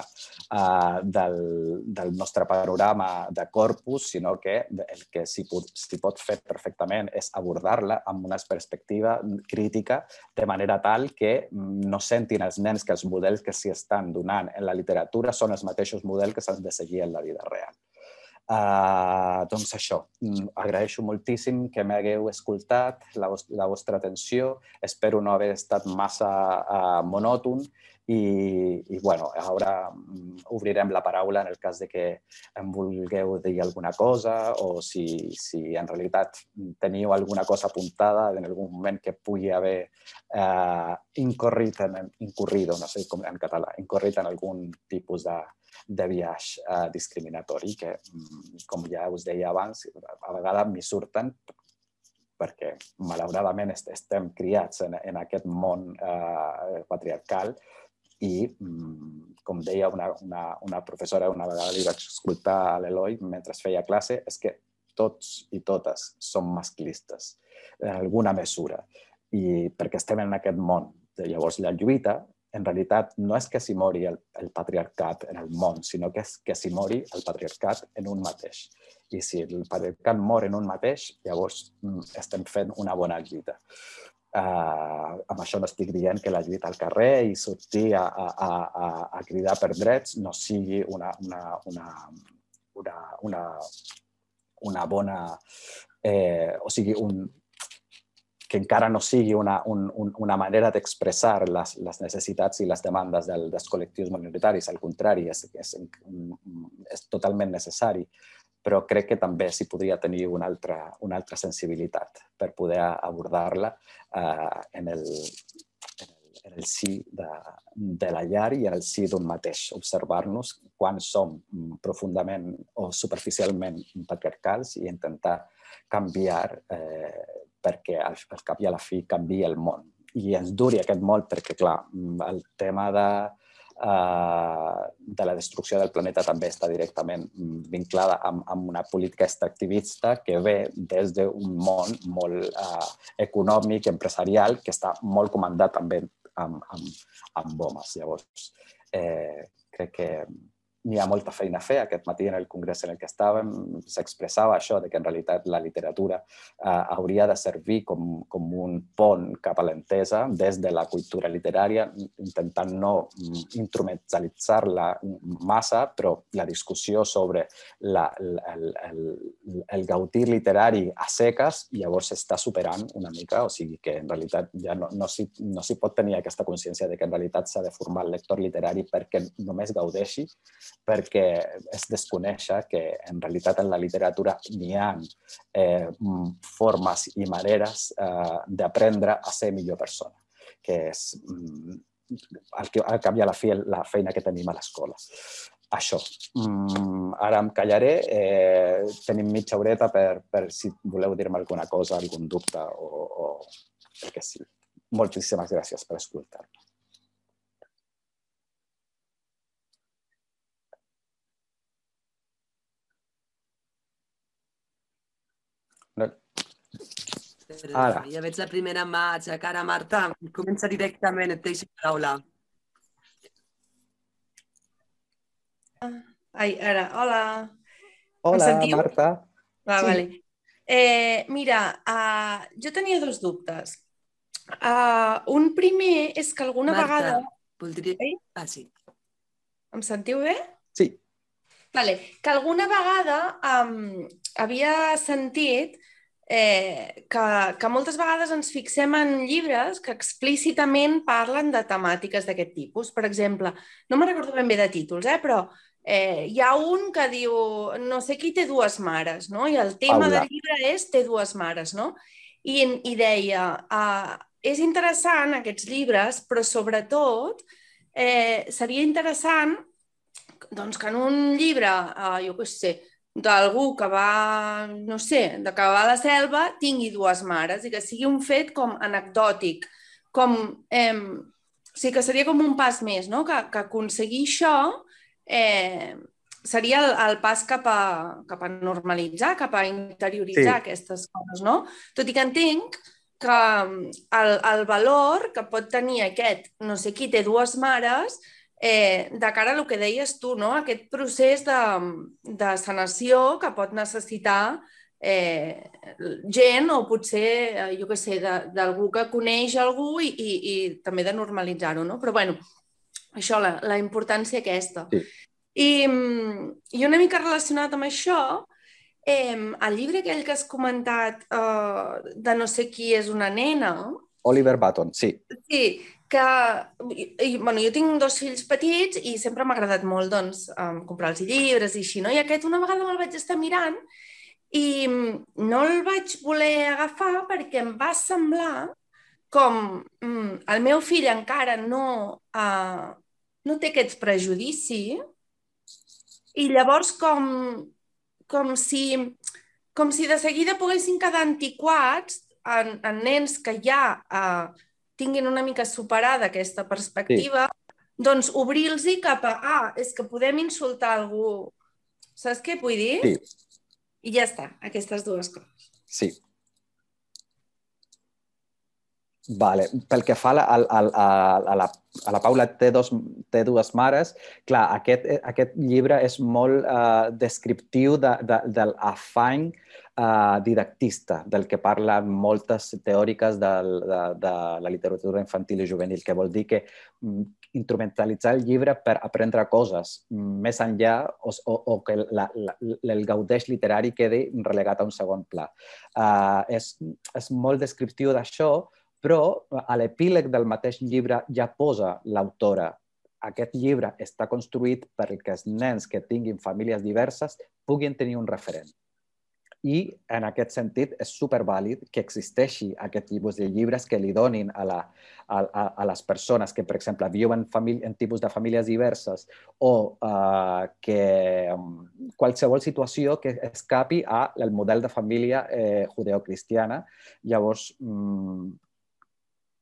del nostre panorama de corpus, sinó que el que s'hi pot fer perfectament és abordar-la amb una perspectiva crítica, de manera tal que no sentin els nens que els models que s'hi estan donant en la literatura són els mateixos models que s'han de seguir en la vida real. Doncs això, agraeixo moltíssim que m'hagueu escoltat, la vostra atenció, espero no haver estat massa monòton i bueno, ara obrirem la paraula en el cas de que em vulgueu dir alguna cosa o si en realitat teniu alguna cosa apuntada en algun moment que pugui haver incorrido, no sé com en català, incorrit en algun tipus de biaix discriminatori que, com ja us deia abans, a vegades m'hi surten perquè malauradament estem criats en aquest món patriarcal i, com deia una professora, una vegada li vaig escoltar a l'Eloi mentre feia classe, és que tots i totes som masclistes en alguna mesura i perquè estem en aquest món. Llavors la lluita en realitat no és que s'hi mori el patriarcat en el món, sinó que és que s'hi mori el patriarcat en un mateix. I si el patriarcat mor en un mateix, llavors estem fent una bona lluita. Amb això no estic dient que la lluita al carrer i sortir a cridar per drets no sigui una bona... o sigui, que encara no sigui una manera d'expressar les necessitats i les demandes dels col·lectius minoritaris. Al contrari, és totalment necessari, però crec que també s'hi podria tenir una altra sensibilitat per poder abordar-la en el si de la llar i en el si d'un mateix. Observar-nos quan som profundament o superficialment patriarcals i intentar canviar perquè al cap i a la fi canvia el món. I ens duri aquest món perquè, clar, el tema de la destrucció del planeta també està directament vinculada amb una política extractivista que ve des d'un món molt econòmic, empresarial, que està molt comandat també amb homes. Llavors, crec que n'hi ha molta feina a fer. Aquest matí en el congrés en el que estàvem s'expressava això, que en realitat la literatura hauria de servir com un pont cap a l'entesa des de la cultura literària, intentant no instrumentalitzar-la massa, però la discussió sobre el gaudir literari a seques llavors s'està superant una mica, o sigui que en realitat ja no s'hi pot tenir aquesta consciència de que en realitat s'ha de formar el lector literari perquè només gaudeixi, perquè es desconèixer que en realitat en la literatura n'hi ha formes i maneres d'aprendre a ser millor persona, que és al cap i a la fi la feina que tenim a l'escola. Això. Ara em callaré. Tenim mitja horeta per si voleu dir-me alguna cosa, algun dubte o el que sigui. Moltíssimes gràcies per escoltar-me. Ara. Ja veig la primera mà aixecar a Marta. Comença directament, et deixo la paraula. Ai, ara, hola. Hola, Marta. Vale. Mira, jo tenia dos dubtes. Un primer és que alguna vegada... Marta, voldria... sí. Em sentiu bé? Sí. Vale, que alguna vegada havia sentit que moltes vegades ens fixem en llibres que explícitament parlen de temàtiques d'aquest tipus. Per exemple, no me'n recordo ben bé de títols, però hi ha un que diu no sé qui té dues mares, no? I el tema del llibre és té dues mares, no? I deia, és interessant aquests llibres, però sobretot seria interessant doncs, que en un llibre, jo què sé, d'algú que va, no sé, que va a la selva, tingui dues mares i que sigui un fet com anecdòtic, com sigui que seria com un pas més, no? Que aconseguir això seria el pas cap a normalitzar, cap a interioritzar aquestes coses, no? Tot i que entenc que el valor que pot tenir aquest no sé qui té dues mares de cara a el que deies tu, no? Aquest procés de sanació que pot necessitar gent o potser, jo què sé, d'algú que coneix algú i també de normalitzar-ho, no? Però, bueno, això, la importància aquesta. Sí. I una mica relacionat amb això, el llibre aquell que has comentat de no sé qui és una nena... Oliver Button, sí. Sí, que... Bueno, jo tinc 2 fills petits i sempre m'ha agradat molt, doncs, comprar-los llibres i així, no? I aquest una vegada me'l vaig estar mirant i no el vaig voler agafar perquè em va semblar com el meu fill encara no té aquests prejudicis i llavors com si de seguida poguessin quedar antiquats en nens que ja tinguin una mica superada aquesta perspectiva, doncs obrir-los cap a és que podem insultar algú. Saps què vull dir? Sí. I ja està, aquestes dues coses. Sí. Vale. Pel que fa a la Paula té dues mares, clar, aquest llibre és molt descriptiu de l'afany didactista, del que parlen moltes teòriques de la literatura infantil i juvenil, que vol dir que instrumentalitzar el llibre per aprendre coses més enllà o que el gaudeix literari quedi relegat a un segon pla. És molt descriptiu d'això, però a l'epíleg del mateix llibre ja posa l'autora. Aquest llibre està construït perquè els nens que tinguin famílies diverses puguin tenir un referent. I en aquest sentit és supervàlid que existeixi aquest tipus de llibres que li donin a les persones que, per exemple, viuen en tipus de famílies diverses o que qualsevol situació que escapi al model de família judeocristiana. Llavors,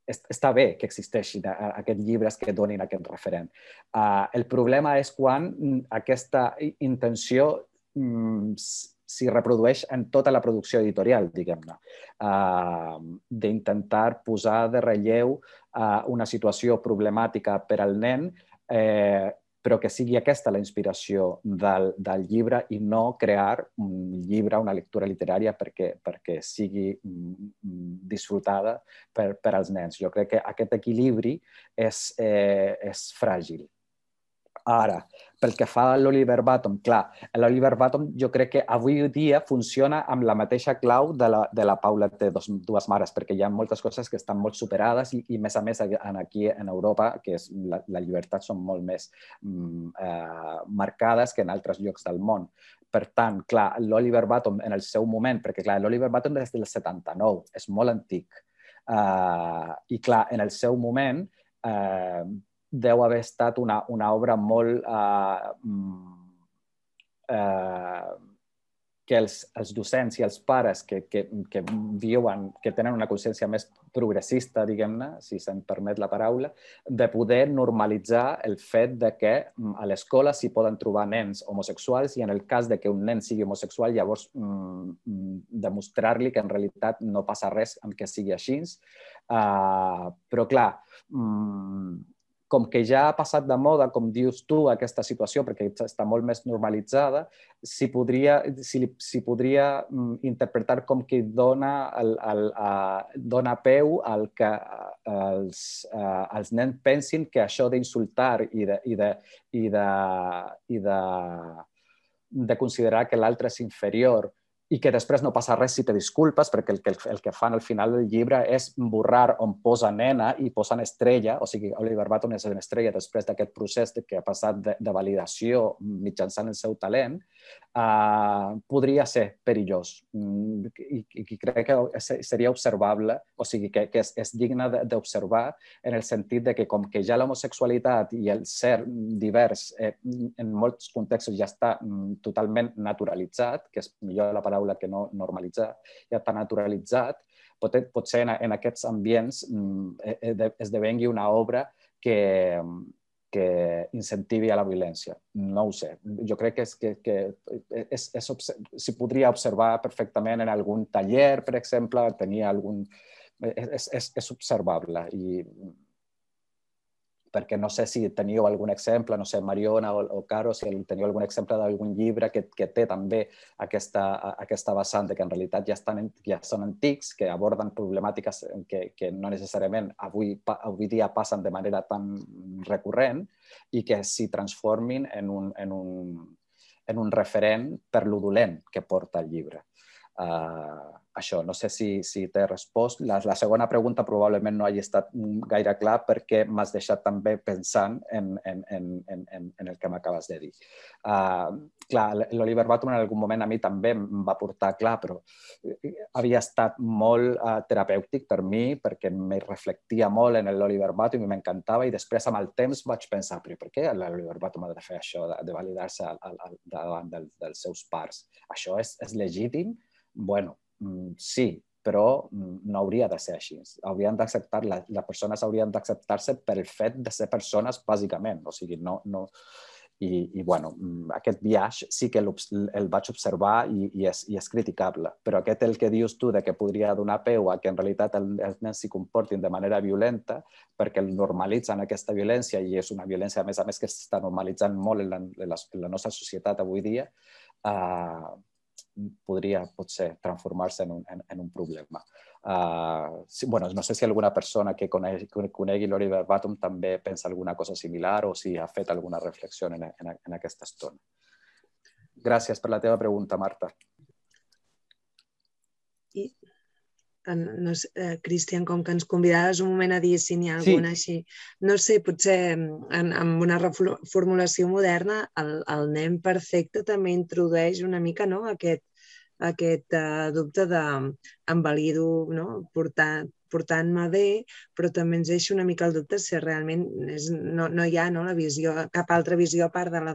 està bé que existeixin aquests llibres que donin aquest referent. El problema és quan aquesta intenció s'hi reprodueix en tota la producció editorial, diguem-ne, d'intentar posar de relleu una situació problemàtica per al nen, però que sigui aquesta la inspiració del llibre i no crear un llibre, una lectura literària perquè sigui disfrutada per als nens. Jo crec que aquest equilibri és fràgil. Ara, pel que fa a l'Oliver Button, clar, l'Oliver Button jo crec que avui dia funciona amb la mateixa clau de la Paula té dues mares, perquè hi ha moltes coses que estan molt superades i més a més aquí en Europa, que la llibertat són molt més marcades que en altres llocs del món. Per tant, clar, l'Oliver Button en el seu moment, perquè clar, l'Oliver Button és del 79, és molt antic. I clar, en el seu moment deu haver estat una obra molt que els docents i els pares que viuen, que tenen una consciència més progressista, diguem-ne, si se'n permet la paraula, de poder normalitzar el fet de que a l'escola s'hi poden trobar nens homosexuals i en el cas de que un nen sigui homosexual, llavors demostrar-li que en realitat no passa res amb que sigui així. Però, clar, com que ja ha passat de moda, com dius tu, aquesta situació, perquè està molt més normalitzada, s'hi podria interpretar com que dona peu al que els nens pensin que això d'insultar i de considerar que l'altre és inferior i que després no passa res si te disculpes, perquè el que fan al final del llibre és borrar on posa nena i posen estrella, o sigui, Oliver Button és una estrella després d'aquest procés que ha passat de validació mitjançant el seu talent, podria ser perillós. I crec que seria observable, o sigui, que és digne d'observar en el sentit de que com que ja l'homosexualitat i el ser divers en molts contextos ja està totalment naturalitzat, que és millor la paraula que no normalitzar, ja està naturalitzat, potser en aquests ambients esdevengui una obra que incentivi a la violència. No ho sé. Jo crec que s'hi podria observar perfectament en algun taller, per exemple, tenia algun... És observable i perquè no sé si teniu algun exemple, no sé, Mariona o Caro, si teniu algun exemple d'algun llibre que té també aquesta vessant que en realitat ja són antics, que aborden problemàtiques que no necessàriament avui dia passen de manera tan recurrent i que s'hi transformin en un referent per lo dolent que porta el llibre. Això, no sé si t'he respost. La segona pregunta probablement no hagi estat gaire clar perquè m'has deixat també pensant en el que m'acabes de dir. Clar, l'Oliver Batuman en algun moment a mi també em va portar clar, però havia estat molt terapèutic per mi perquè me reflectia molt en l'Oliver Batuman i m'encantava i després amb el temps vaig pensar però per què l'Oliver Batuman ha de fer això, de validar-se davant dels seus pares? Això és legítim? Bueno, sí, però no hauria de ser així. Haurien d'acceptar, les persones haurien d'acceptar-se pel fet de ser persones, bàsicament. O sigui, no... I bueno, aquest viatge sí que el vaig observar i és criticable. Però aquest el que dius tu de que podria donar peu a que en realitat els nens s'hi comportin de manera violenta perquè el normalitzen aquesta violència i és una violència, a més que s'està normalitzant molt en la nostra societat avui dia, podria potser transformar-se en un problema. No sé si alguna persona que conegui l'Oliver Batuman també pensa alguna cosa similar o si ha fet alguna reflexió en aquesta estona. Gràcies per la teva pregunta, Marta. Cristian, com que ens convidaves un moment a dir si n'hi ha alguna així, no sé, potser amb una reformulació moderna el nen perfecte també introdueix una mica aquest dubte de em valido portant-me bé, però també ens deixa una mica el dubte si realment no hi ha la visió, cap altra visió a part de la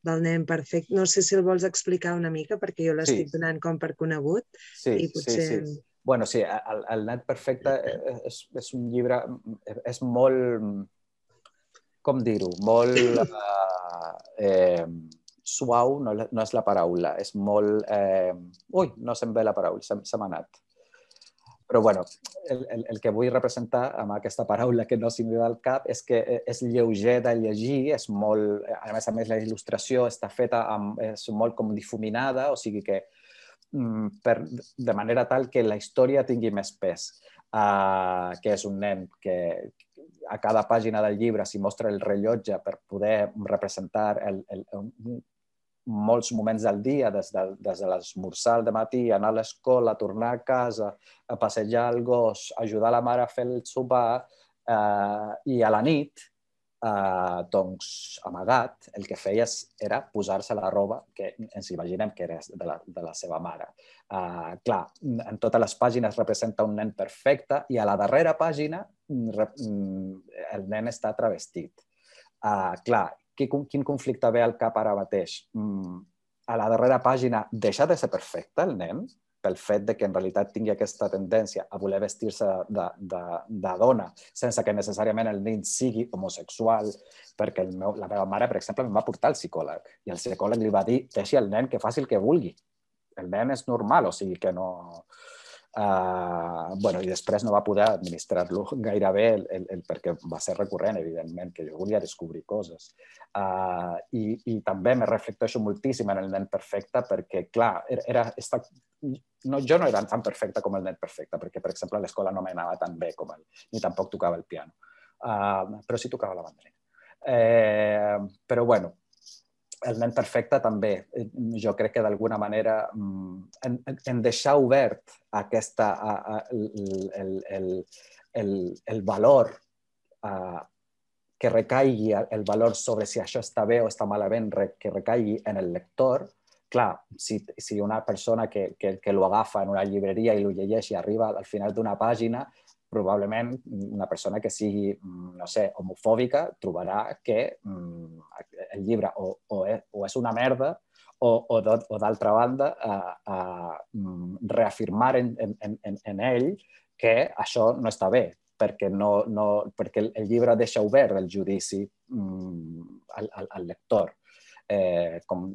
del nen perfecte. No sé si el vols explicar una mica perquè jo l'estic donant com per conegut. Sí. Bueno, sí, el nen perfecte és un llibre, és molt, com dir-ho, molt suau, no és la paraula, és molt... Ui, no se'm ve la paraula, se m'ha anat. Però bueno, el que vull representar amb aquesta paraula que no se'm ve al cap és que és lleuger de llegir, és molt... A més, la il·lustració està feta, és molt com difuminada, o sigui que de manera tal que la història tingui més pes, que és un nen que a cada pàgina del llibre s'hi mostra el rellotge per poder representar molts moments del dia, des de l'esmorzar al matí, anar a l'escola, tornar a casa, a passejar el gos, ajudar la mare a fer el sopar i a la nit, doncs, amagat, el que feia era posar-se la roba que ens imaginem que era de la seva mare. Clar, en totes les pàgines representa un nen perfecte i a la darrera pàgina el nen està travestit. Clar, quin conflicte ve al cap ara mateix? A la darrera pàgina deixa de ser perfecte el nen pel fet que en realitat tingui aquesta tendència a voler vestir-se de dona sense que necessàriament el nen sigui homosexual, perquè la meva mare, per exemple, em va portar al psicòleg i el psicòleg li va dir deixi el nen que faci el que vulgui. El nen és normal, o sigui que no... I després no va poder administrar-lo gaire bé perquè va ser recurrent, evidentment, que jo volia descobrir coses. I també me reflecteixo moltíssim en el nen perfecte perquè, clar, jo no era tan perfecte com el nen perfecte perquè, per exemple, a l'escola no m'anava tan bé com ell, ni tampoc tocava el piano, però sí tocava la mandolina. Però, bueno, el nen perfecte també, jo crec que d'alguna manera en deixar obert el valor que recaigui, el valor sobre si això està bé o està malament, que recaigui en el lector. Clar, si una persona que lo agafa en una llibreria i lo llegeix i arriba al final d'una pàgina, probablement una persona que sigui, no sé, homofòbica trobarà que el llibre o és una merda o d'altra banda reafirmar en ell que això no està bé perquè el llibre deixa obert el judici al lector.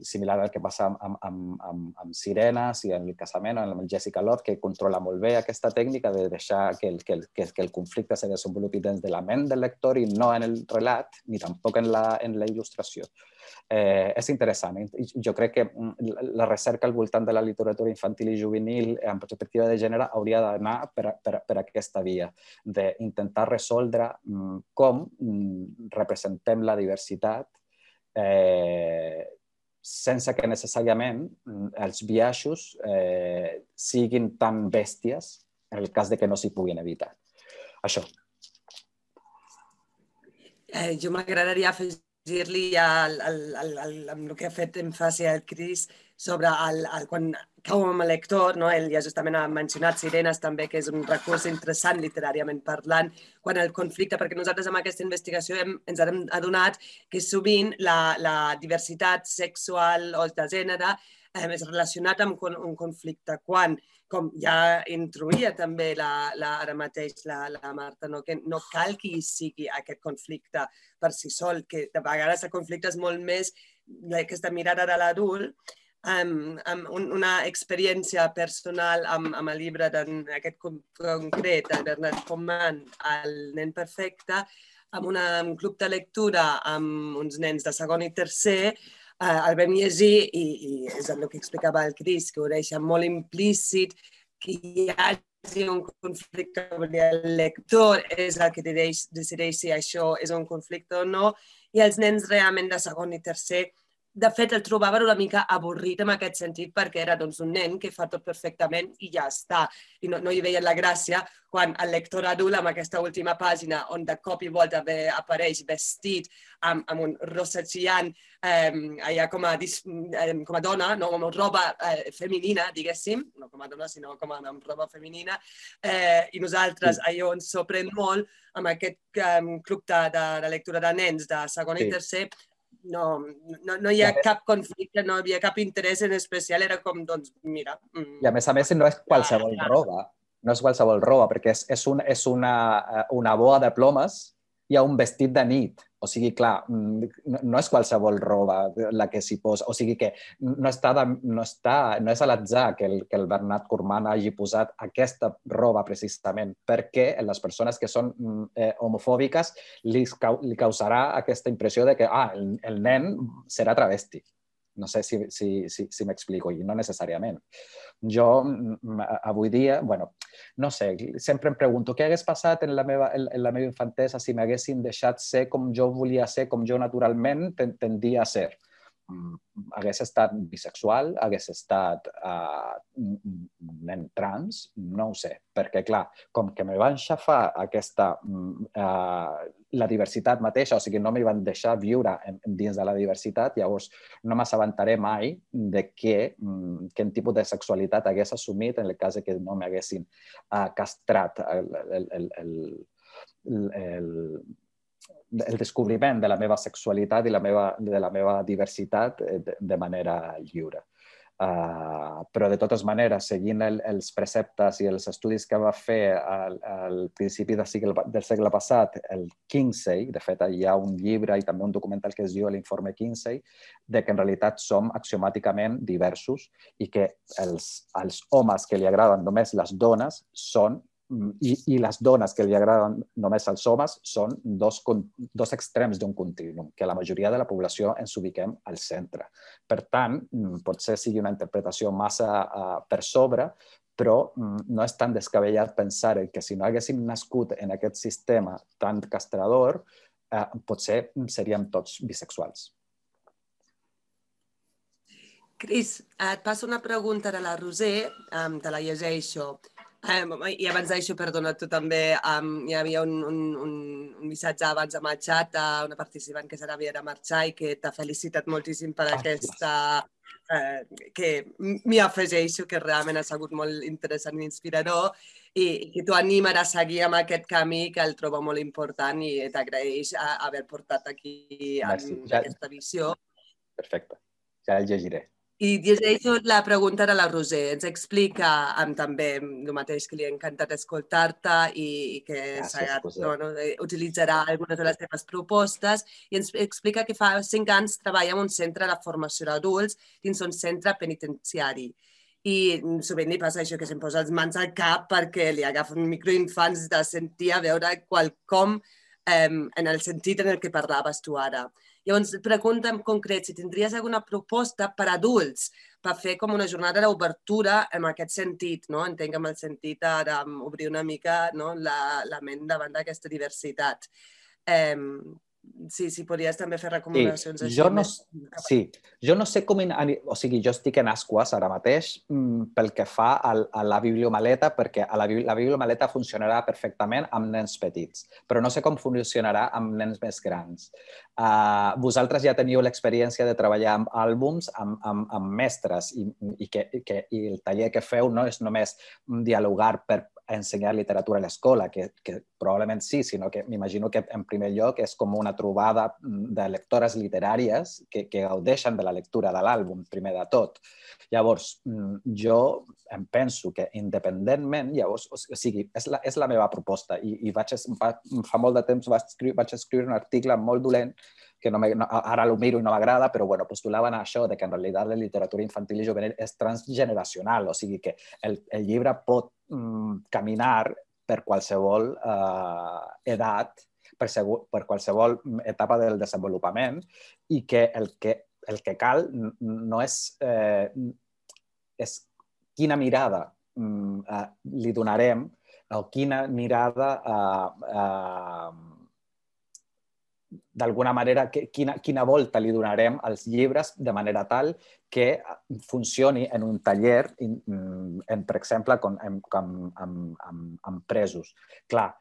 Similar al que passa amb Sirenes i en el casament, amb Jessica Love, que controla molt bé aquesta tècnica de deixar que el conflicte se desenvolupi dins de la ment del lector i no en el relat, ni tampoc en la il·lustració. És interessant. Jo crec que la recerca al voltant de la literatura infantil i juvenil en perspectiva de gènere hauria d'anar per aquesta via, d'intentar resoldre com representem la diversitat sense que necessàriament els biaixos siguin tan bèsties en el cas de que no s'hi puguin evitar. Això. Jo m'agradaria afegir-li amb el que ha fet èmfasi el Cris sobre quan cau amb el lector, ell ja justament ha mencionat Sirenes també, que és un recurs interessant literàriament parlant, quan el conflicte, perquè nosaltres amb aquesta investigació ens hem adonat que sovint la diversitat sexual o de gènere és relacionat amb un conflicte, quan, com ja introduïa també ara mateix la Marta, que no cal que hi sigui aquest conflicte per si sol, que de vegades el conflicte és molt més aquesta mirada de l'adult, amb una experiència personal amb el llibre d'aquest concret, de Bernard Comman, El nen perfecte, amb un club de lectura amb uns nens de segon i tercer, el vam llegir i és el que explicava el Cris, que ho deixa molt implícit, que hi hagi un conflicte, el lector és el que decideix si això és un conflicte o no, i els nens realment de segon i tercer, de fet, el trobaven una mica avorrit en aquest sentit perquè era un nen que fa tot perfectament i ja està. I no hi veien la gràcia quan el lector adult, amb aquesta última pàgina, on de cop i volta apareix vestit amb un rossegiant allà com a dona, no com a roba femenina, diguéssim, no com a dona, sinó com amb roba femenina, i nosaltres allò ens sorprèn molt amb aquest club de lectura de nens de segon i tercer. No hi ha cap conflicte, no hi havia cap interès en especial, era com, doncs, mira... I a més, no és qualsevol roba, no és qualsevol roba, perquè és una boa de plomes i un vestit de nit. O sigui, clar, no és qualsevol roba la que s'hi posa. O sigui que no és a l'atzar que el Bernard Corman hagi posat aquesta roba precisament, perquè les persones que són homofòbiques li causarà aquesta impressió de que el nen serà travesti. No sé si m'explico, i no necessàriament. Jo, avui dia, no sé, sempre em pregunto què hagués passat en la meva infantesa si m'haguessin deixat ser com jo volia ser, com jo naturalment tendia a ser. Hagués estat bisexual, hagués estat nen trans, no ho sé, perquè clar, com que me van xafar la diversitat mateixa, o sigui, no m'hi van deixar viure dins de la diversitat, llavors no m'assabentaré mai de quin tipus de sexualitat hagués assumit en el cas que no m'haguessin castrat el descobriment de la meva sexualitat i de la meva diversitat de manera lliure. Però de totes maneres, seguint els preceptes i els estudis que va fer al principi del segle passat, el Kinsey, de fet hi ha un llibre i també un documental que es diu l'Informe Kinsey, de que en realitat som axiomàticament diversos i que els homes que li agraden només les dones són i les dones que li agraden només als homes són dos extrems d'un contínuum, que la majoria de la població ens ubiquem al centre. Per tant, potser sigui una interpretació massa per sobre, però no és tan descabellat pensar que si no haguéssim nascut en aquest sistema tan castrador, potser seríem tots bisexuals. Cris, et passo una pregunta de la Roser, te la llegeixo. I abans d'això, perdona, tu també, hi havia un missatge abans amb el xat d'una participant que se n'havia de marxar i que t'ha felicitat moltíssim per aquesta... que m'hi afegeixo, que realment ha sigut molt interessant i inspirador i que t'ho anima a seguir amb aquest camí que el trobo molt important i t'agraeix haver portat aquí aquesta visió. Perfecte, ja el llegiré. I llegeixo la pregunta de la Roser. Ens explica també el mateix, que li ha encantat escoltar-te i que utilitzarà algunes de les teves propostes, i ens explica que fa 5 anys treballa en un centre de formació d'adults dins un centre penitenciari. I sovint li passa això, que se'm posa les mans al cap perquè li agafen microinfants de sentir a veure qualcom en el sentit en el que parlaves tu ara. Llavors, pregunta en concret si tindries alguna proposta per a adults, per fer com una jornada d'obertura en aquest sentit, no? Entenc amb el sentit d'obrir una mica la ment davant d'aquesta diversitat. Si podries també fer recomanacions així. Jo no sé com... O sigui, jo estic en Asquas ara mateix pel que fa a la bibliomaleta, perquè la bibliomaleta funcionarà perfectament amb nens petits, però no sé com funcionarà amb nens més grans. Vosaltres ja teniu l'experiència de treballar amb àlbums, amb mestres, i el taller que feu no és només dialogar per ensenyar literatura a l'escola, que probablement sí, sinó que m'imagino que en primer lloc és com una trobada de lectores literàries que gaudeixen de la lectura de l'àlbum, primer de tot. Llavors, jo em penso que independentment, llavors, o sigui, és la meva proposta, i fa molt de temps vaig escriure un article molt dolent, que ara ho miro i no m'agrada, però postulaven això de que en realitat la literatura infantil i juvenil és transgeneracional, o sigui que el llibre pot caminar per qualsevol edat, per qualsevol etapa del desenvolupament, i que el que cal no és quina mirada li donarem o quina mirada d'alguna manera, quina volta li donarem als llibres de manera tal que funcioni en un taller, per exemple, amb presos. Clar,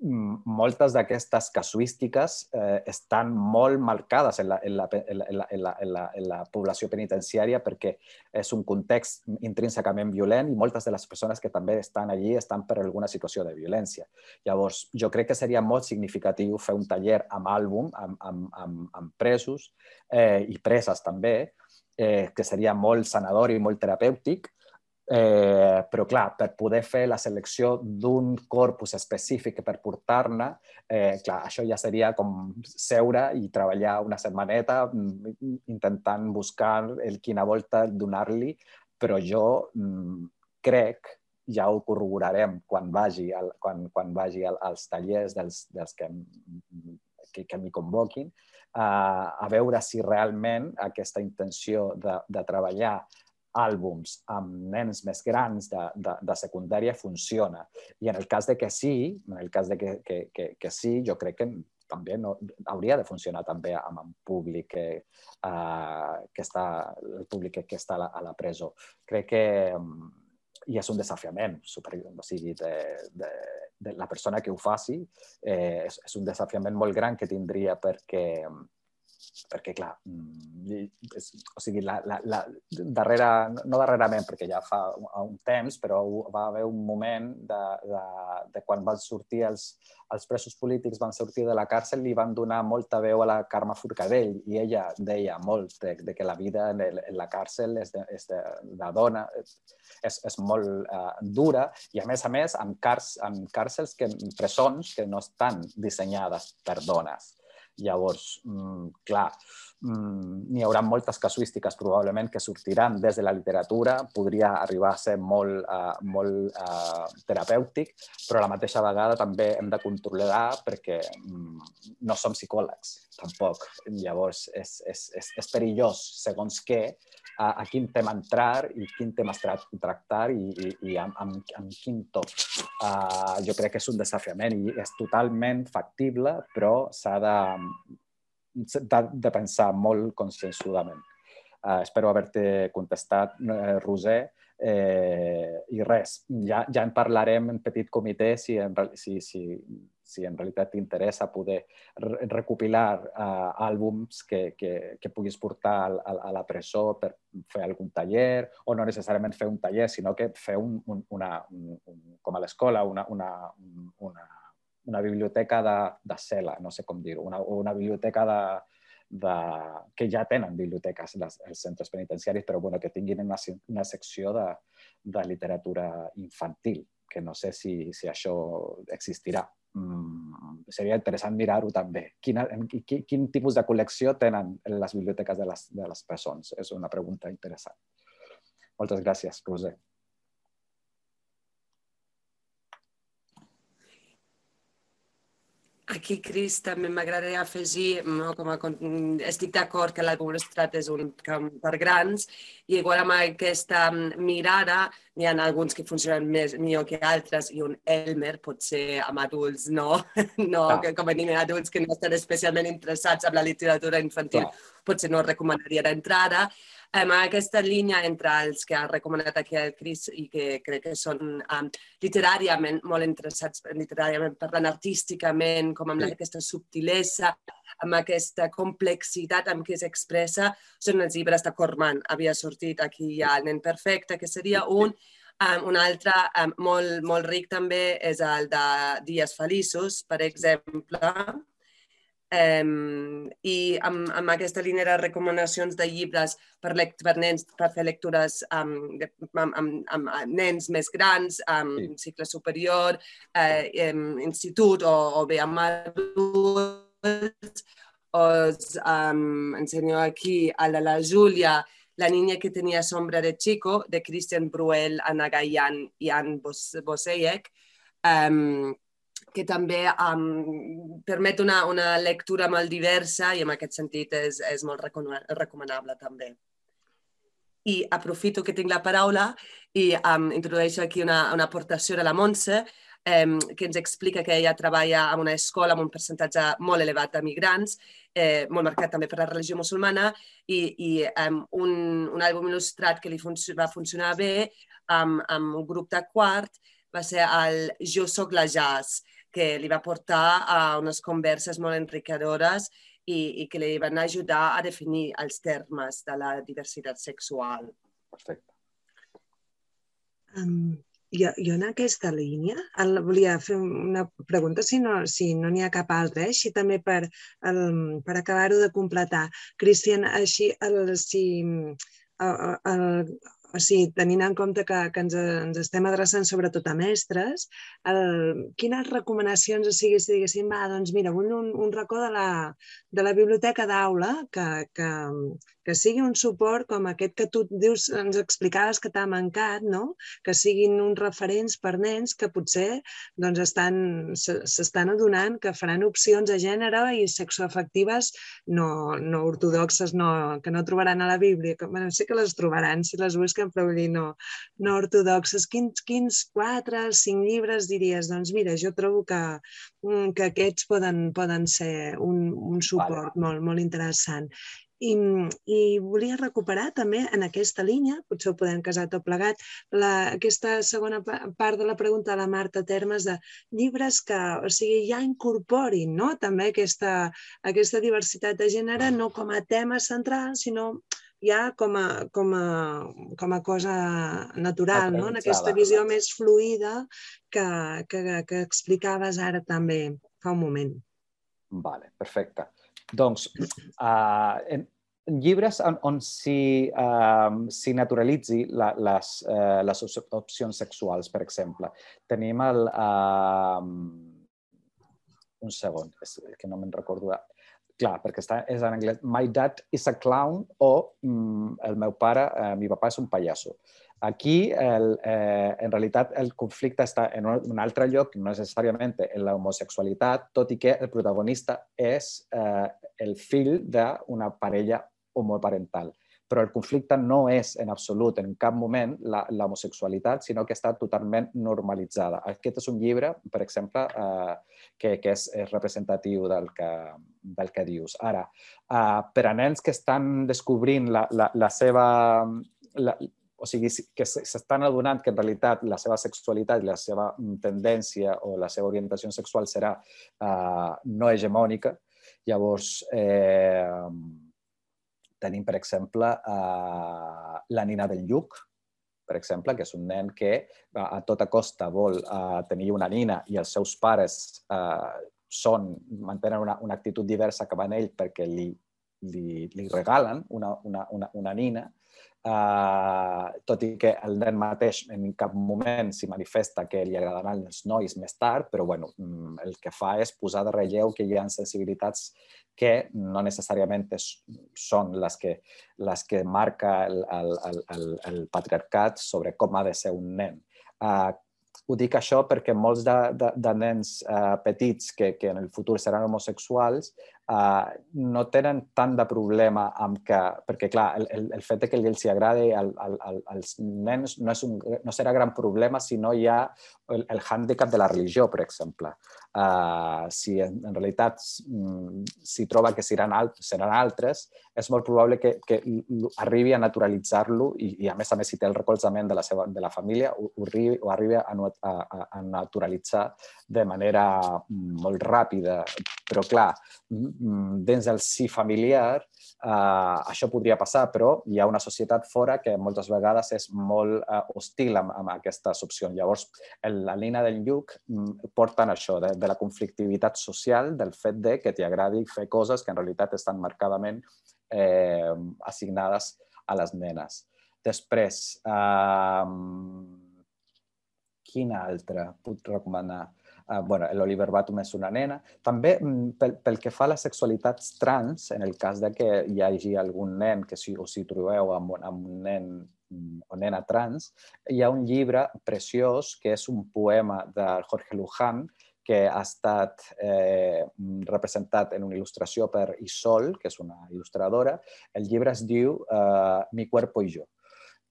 moltes d'aquestes casuístiques estan molt marcades en la població penitenciària perquè és un context intrínsecament violent i moltes de les persones que també estan allí estan per alguna situació de violència. Llavors, jo crec que seria molt significatiu fer un taller amb àlbum, amb presos i preses també, que seria molt sanador i molt terapèutic. Però clar, per poder fer la selecció d'un corpus específic per portar-ne, això ja seria com seure i treballar una setmaneta intentant buscar quina volta donar-li, però jo crec, ja ho corroborarem quan vagi als tallers dels que m'hi convoquin, a veure si realment aquesta intenció de treballar àlbums amb nens més grans de secundària funciona. I en el cas de que sí, jo crec que també hauria de funcionar també amb el públic que està a la presó. Crec que i és un desafiament, o sigui, de la persona que ho faci, és un desafiament molt gran que tindria perquè, clar, o sigui, no darrerament, perquè ja fa un temps, però va haver un moment de quan van sortir els presos polítics, van sortir de la càrcel i van donar molta veu a la Carme Forcadell, i ella deia molt que la vida en la càrcel de dona és molt dura, i a més amb càrcels, presons que no estan dissenyades per dones. Llavors, clar, n'hi haurà moltes casuístiques probablement que sortiran des de la literatura, podria arribar a ser molt terapèutic, però a la mateixa vegada també hem de controlar perquè no som psicòlegs, tampoc. Llavors, és perillós, segons què, a quin tema entrar i quin tema tractar i amb quin to. Jo crec que és un desafiament i és totalment factible, però s'ha de pensar molt conscienzudament. Espero haver-te contestat, Roser, i res, ja en parlarem en petit comitè si en realitat t'interessa poder recopilar àlbums que puguis portar a la presó per fer algun taller, o no necessàriament fer un taller, sinó que fer com a l'escola, una biblioteca de cel·la, no sé com dir-ho, una biblioteca que ja tenen biblioteques els centres penitenciaris, però que tinguin una secció de literatura infantil, que no sé si això existirà. Seria interessant mirar-ho també. Quin tipus de col·lecció tenen les biblioteques de les presons? És una pregunta interessant. Moltes gràcies, Roser. Aquí, Cris, també m'agradaria afegir, estic d'acord que l'àlbum il·lustrat és un camp per grans i igual amb aquesta mirada n'hi ha alguns que funcionen millor que altres i un Elmer potser amb adults no, com a nivell adults que no estan especialment interessats en la literatura infantil, potser no recomanaria d'entrada. Aquesta línia entre els que ha recomanat aquí el Cris i que crec que són literàriament molt interessats, literàriament parlant, artísticament, com amb aquesta subtilesa, amb aquesta complexitat amb què s'expressa, són els llibres de Corman. Havia sortit aquí ja El nen perfecte, que seria un. Un altre molt ric també és el de Dies feliços, per exemple. I amb aquesta línia de recomanacions de llibres per nens, per fer lectures amb nens més grans, cicle superior, institut o bé amb adults, us ensenyo aquí a la Júlia, La niña que tenía sombra de chico, de Christian Bruel, Anna Gayan i Anne Boseyek, que també permet una lectura molt diversa i en aquest sentit és molt recomanable també. I aprofito que tinc la paraula i introdueixo aquí una aportació de la Montse, que ens explica que ella treballa en una escola amb un percentatge molt elevat de migrants, molt marcat també per la religió musulmana, i un àlbum il·lustrat que li va funcionar bé amb un grup de quart va ser el Jo soc la Jazz, que li va portar a unes converses molt enriquidores i que li van ajudar a definir els termes de la diversitat sexual. Perfecte. Jo en aquesta línia volia fer una pregunta, si no n'hi ha cap altra, així també per acabar-ho de completar. Cristian, així, tenint en compte que ens estem adreçant sobretot a mestres, quines recomanacions, o sigui, si diguéssim, doncs mira, vull un racó de la biblioteca d'aula que sigui un suport com aquest que tu dius, ens explicaves que t'ha mancat, no? Que siguin uns referents per nens que potser s'estan adonant que faran opcions de gènere i sexoafectives no ortodoxes, que no trobaran a la Bíblia. Sí que les trobaran si les busquen, però vull dir, no ortodoxes. Quins 4 o 5 llibres diries? Doncs mira, jo trobo que aquests poden ser un suport molt interessant. I volia recuperar també en aquesta línia, potser ho podem casar tot plegat, aquesta segona part de la pregunta de la Marta Termes de llibres que ja incorporin també aquesta diversitat de gènere, no com a tema central, sinó ja com a cosa natural, en aquesta visió més fluida que explicaves ara també fa un moment. Vale, perfecte. Doncs, llibres on s'hi naturalitzi les opcions sexuals, per exemple. Tenim un segon, és que no me'n recordo. Clar, perquè és en anglès. My dad is a clown o el meu pare, mi papà és un pallasso. Aquí, en realitat, el conflicte està en un altre lloc, no necessàriament en l'homosexualitat, tot i que el protagonista és el fill d'una parella homoparental. Però el conflicte no és en absolut, en cap moment, l'homosexualitat, sinó que està totalment normalitzada. Aquest és un llibre, per exemple, que és representatiu del que dius. Ara, per a nens que estan descobrint la seva... O sigui, que s'estan adonant que en realitat la seva sexualitat i la seva tendència o la seva orientació sexual serà no hegemònica. Llavors, tenim, per exemple, La nina del lluc, per exemple, que és un nen que a tota costa vol tenir una nina i els seus pares mantenen una actitud diversa cap a ell perquè li li regalen una nina, tot i que el nen mateix en cap moment s'hi manifesta que li agradaran els nois més tard, però bueno, el que fa és posar de relleu que hi ha sensibilitats que no necessàriament són les que marca el patriarcat sobre com ha de ser un nen. Ho dic això perquè molts de nens petits que en el futur seran homosexuals no tenen tant de problema amb que... Perquè, clar, el fet que els agradi als nens no serà gran problema si no hi ha el hàndicap de la religió, per exemple. Si en realitat s'hi troba que seran altres, és molt probable que arribi a naturalitzar-lo i a més si té el recolzament de la família, ho arribi a naturalitzar de manera molt ràpida. Però, clar, dins del si familiar això podria passar, però hi ha una societat fora que moltes vegades és molt hostil amb aquestes opcions. Llavors, la línia del Lluc porten això, de la conflictivitat social, del fet que t'hi agradi fer coses que en realitat estan marcadament assignades a les nenes. Després, quina altra puc recomanar? L'Oliver Batum és una nena. També, pel que fa a les sexualitats trans, en el cas que hi hagi algun nen que us hi trobeu amb un nen o nena trans, hi ha un llibre preciós que és un poema de Jorge Luján que ha estat representat en una il·lustració per Isol, que és una il·lustradora. El llibre es diu Mi cuerpo y yo.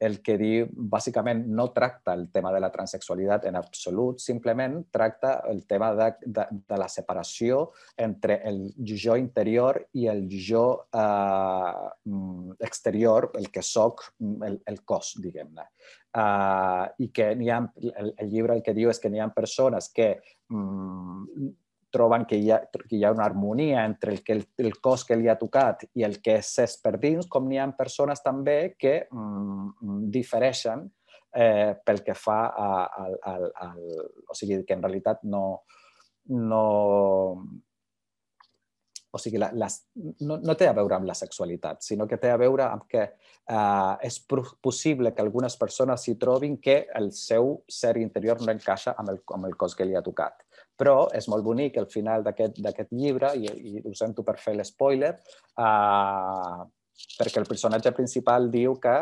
El que diu, bàsicament, no tracta el tema de la transsexualitat en absolut, simplement tracta el tema de la separació entre el jo interior i el jo exterior, el que soc, el cos, diguem-ne. I que el llibre el que diu és que n'hi ha persones que troben que hi ha una harmonia entre el cos que li ha tocat i el que és per dins, com n'hi ha persones també que difereixen pel que fa o sigui, que en realitat no té a veure amb la sexualitat, sinó que té a veure amb que és possible que algunes persones s'hi trobin que el seu ser interior no encaixa amb el cos que li ha tocat. Però és molt bonic al final d'aquest llibre, i ho sento per fer l'espoiler, perquè el personatge principal diu que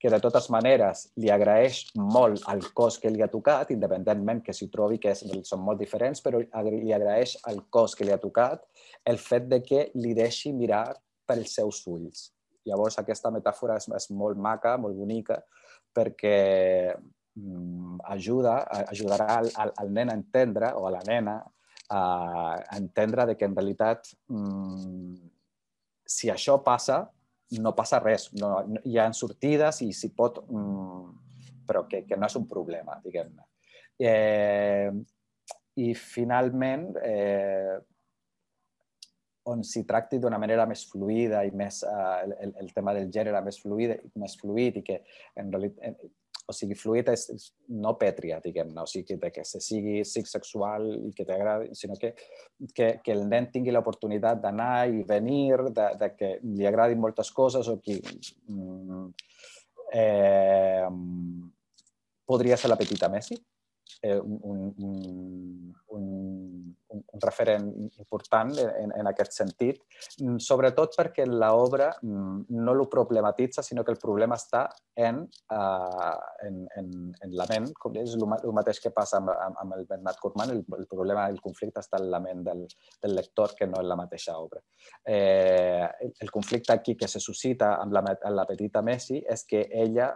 de totes maneres li agraeix molt el cos que li ha tocat, independentment que s'hi trobi que són molt diferents, però li agraeix el cos que li ha tocat el fet que li deixi mirar pels seus ulls. Llavors aquesta metàfora és molt maca, molt bonica, perquè ajudarà al nen a entendre, o a la nena, a entendre que en realitat si això passa, no passa res. Hi ha sortides i s'hi pot, però que no és un problema, diguem-ne. I finalment, on s'hi tracti d'una manera més fluida i més el tema del gènere més fluid i que en realitat, o sigui, fluid és no pètria, diguem-ne, o sigui, que se sigui sexual i que t'agradi, sinó que el nen tingui l'oportunitat d'anar i venir, que li agradin moltes coses, o que podria ser la petita Messi, un referent important en aquest sentit, sobretot perquè l'obra no ho problematitza, sinó que el problema està en la ment, com és el mateix que passa amb el Bernat Koopman, el problema del conflicte està en la ment del lector, que no en la mateixa obra. El conflicte aquí que se suscita amb la petita Messi és que ella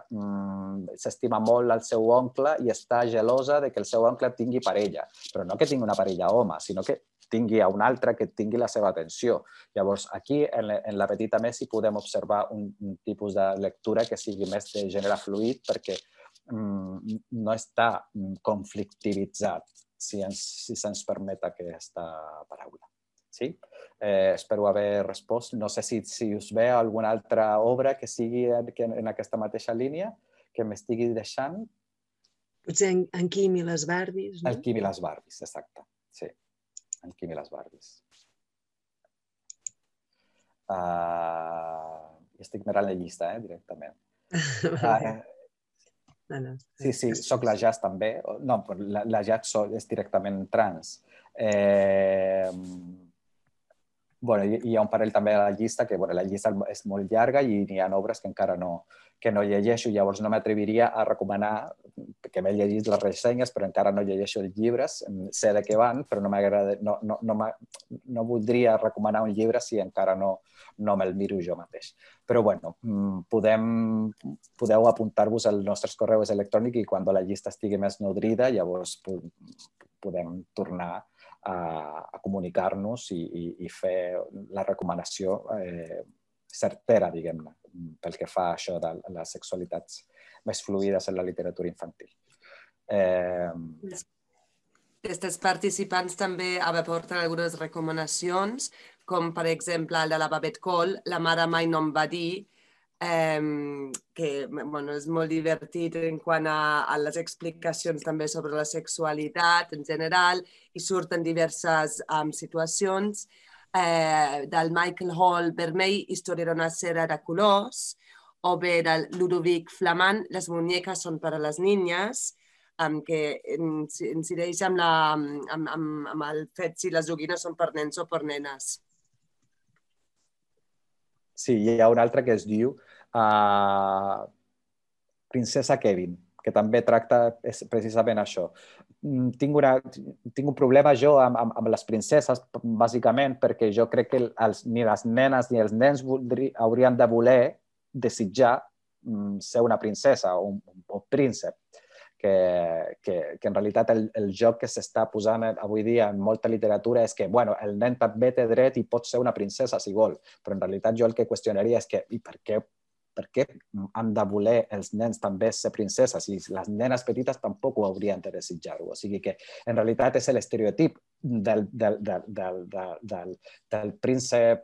s'estima molt al seu oncle i està gelosa de que el seu oncle tingui parella, però no que tingui una parella home, sinó que tingui a un altre que tingui la seva atenció. Llavors, aquí, en la petita Messi, podem observar un tipus de lectura que sigui més de gènere fluid, perquè no està conflictivitzat, si se'ns permet aquesta paraula. Sí? Espero haver respost. No sé si us ve alguna altra obra que sigui en aquesta mateixa línia, que m'estigui deixant. Potser en Quim i les Barbies, no? El Quim i les Barbies, exacte. Sí, en Quim i les Barbies. Estic mirant la llista, directament. Sí, soc la Jazz també. No, la Jazz és directament trans. Hi ha un parell també a la llista, que la llista és molt llarga i hi ha obres que encara no llegeixo, llavors no m'atreviria a recomanar, que m'he llegit les ressenyes, però encara no llegeixo els llibres, sé de què van, però no voldria recomanar un llibre si encara no me'l miro jo mateix. Però bueno, podeu apuntar-vos als nostres correus electrònics i quan la llista estigui més nodrida, llavors podem tornar a comunicar-nos i fer la recomanació certera, diguem-ne, pel que fa a això de les sexualitats més fluides en la literatura infantil. Aquests participants també aporten algunes recomanacions, com per exemple el de la Babette Cole, La mare mai no em va dir, que és molt divertit en quant a les explicacions també sobre la sexualitat en general i surten diverses situacions. Del Michael Hall Vermell, Història d'una cera de colors, o bé del Ludovic Flamand, Les muñecas son para las niñas, que incideix amb el fet si les joguines són per nens o per nenes. Sí, hi ha un altre que es diu Princesa Kevin, que també tracta precisament això. Tinc un problema jo amb les princeses, bàsicament, perquè jo crec que ni les nenes ni els nens haurien de voler desitjar ser una princesa o un príncep. Que en realitat el joc que s'està posant avui dia en molta literatura és que el nen també té dret i pot ser una princesa si vol, però en realitat jo el que qüestionaria és que per què han de voler els nens també ser princeses i les nenes petites tampoc ho haurien de desitjar-ho. O sigui que en realitat és l'estereotip del príncep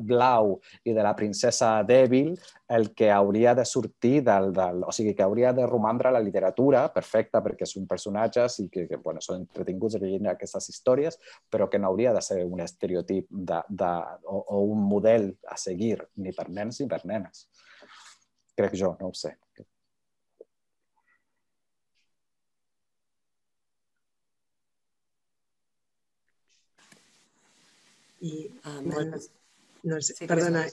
blau i de la princesa dèbil el que hauria de sortir o sigui, que hauria de romandre a la literatura, perfecta, perquè són personatges i que són entretinguts llegint aquestes històries, però que no hauria de ser un estereotip o un model a seguir ni per nens ni per nenes. Crec jo, no ho sé. Perdona,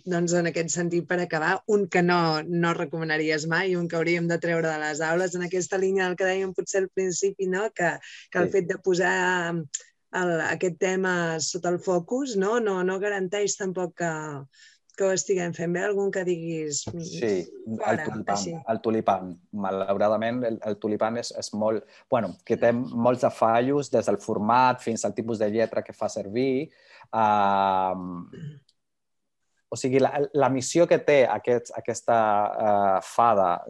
doncs en aquest sentit, per acabar, un que no recomanaries mai, un que hauríem de treure de les aules, en aquesta línia del que dèiem potser al principi, que el fet de posar aquest tema sota el focus no garanteix tampoc que ho estiguem fent bé. Algun que diguis Sí, el tulipan. Malauradament, el tulipan és molt... que té molts afallos, des del format fins al tipus de lletra que fa servir. O sigui, la missió que té aquesta fada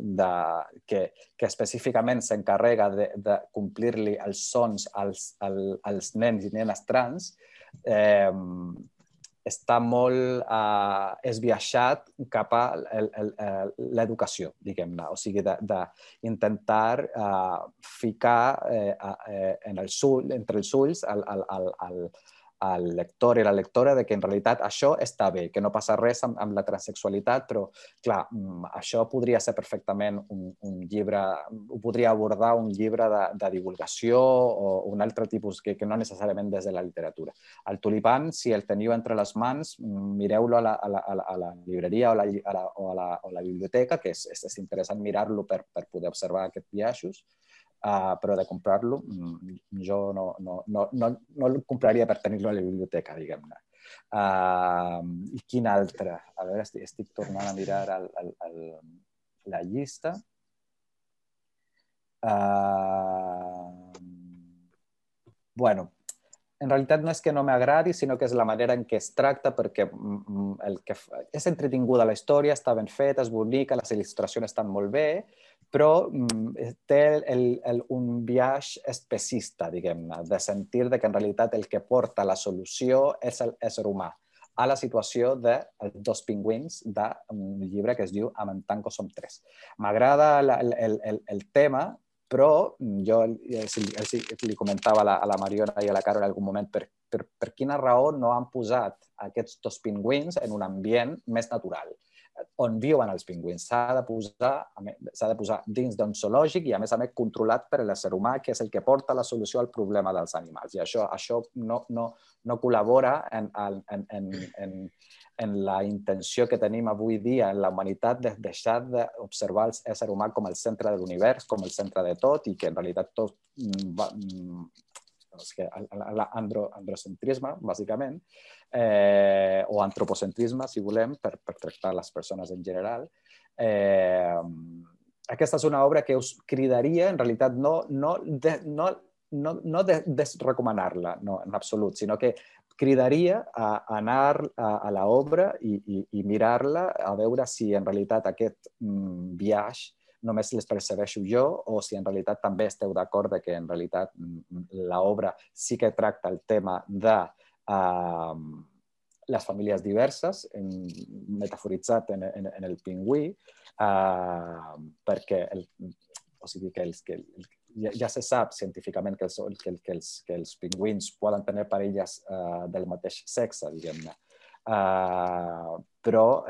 que específicament s'encarrega de complir-li els sons als nens i nenes trans està molt esbiaixat cap a l'educació, diguem-ne. O sigui, d'intentar ficar entre els ulls al lector i la lectora que en realitat això està bé, que no passa res amb la transsexualitat, però, clar, això podria ser perfectament un llibre, ho podria abordar un llibre de divulgació o un altre tipus que no necessàriament des de la literatura. El tulipan, si el teniu entre les mans, mireu-lo a la llibreria o a la biblioteca, que és interessant mirar-lo per poder observar aquests biaixos, però de comprar-lo jo no el compraria per tenir-lo a la biblioteca, diguem-ne. I quin altre? A veure, estic tornant a mirar la llista. Bueno, en realitat no és que no m'agradi, sinó que és la manera en què es tracta, perquè és entretinguda la història, està ben feta, és bonica, les il·lustracions estan molt bé, però té un biaix especista, diguem-ne, de sentir que en realitat el que porta la solució és l'ésser humà a la situació dels dos pingüins d'un llibre que es diu Amb en Tanco som tres. M'agrada el tema, Però jo li comentava a la Mariona i a la Carol en algun moment per quina raó no han posat aquests dos pingüins en un ambient més natural, on viuen els pingüins. S'ha de posar dins d'un zoològic i, a més, controlat per l'ésser humà, que és el que porta la solució al problema dels animals. I això no col·labora en la intenció que tenim avui dia en la humanitat de deixar d'observar l'ésser humà com el centre de l'univers, com el centre de tot, i que en realitat tot l'androcentrisme, bàsicament, o antropocentrisme, si volem, per tractar les persones en general. Aquesta és una obra que us cridaria, en realitat, no desrecomanar-la, no, en absolut, sinó que cridaria a anar a l'obra i mirar-la, a veure si en realitat aquest viatge només les percebeixo jo o si en realitat també esteu d'acord que en realitat l'obra sí que tracta el tema de les famílies diverses, metaforitzat en el pingüí, perquè ja se sap científicament que els pingüins poden tenir parelles del mateix sexe, diguem-ne. Però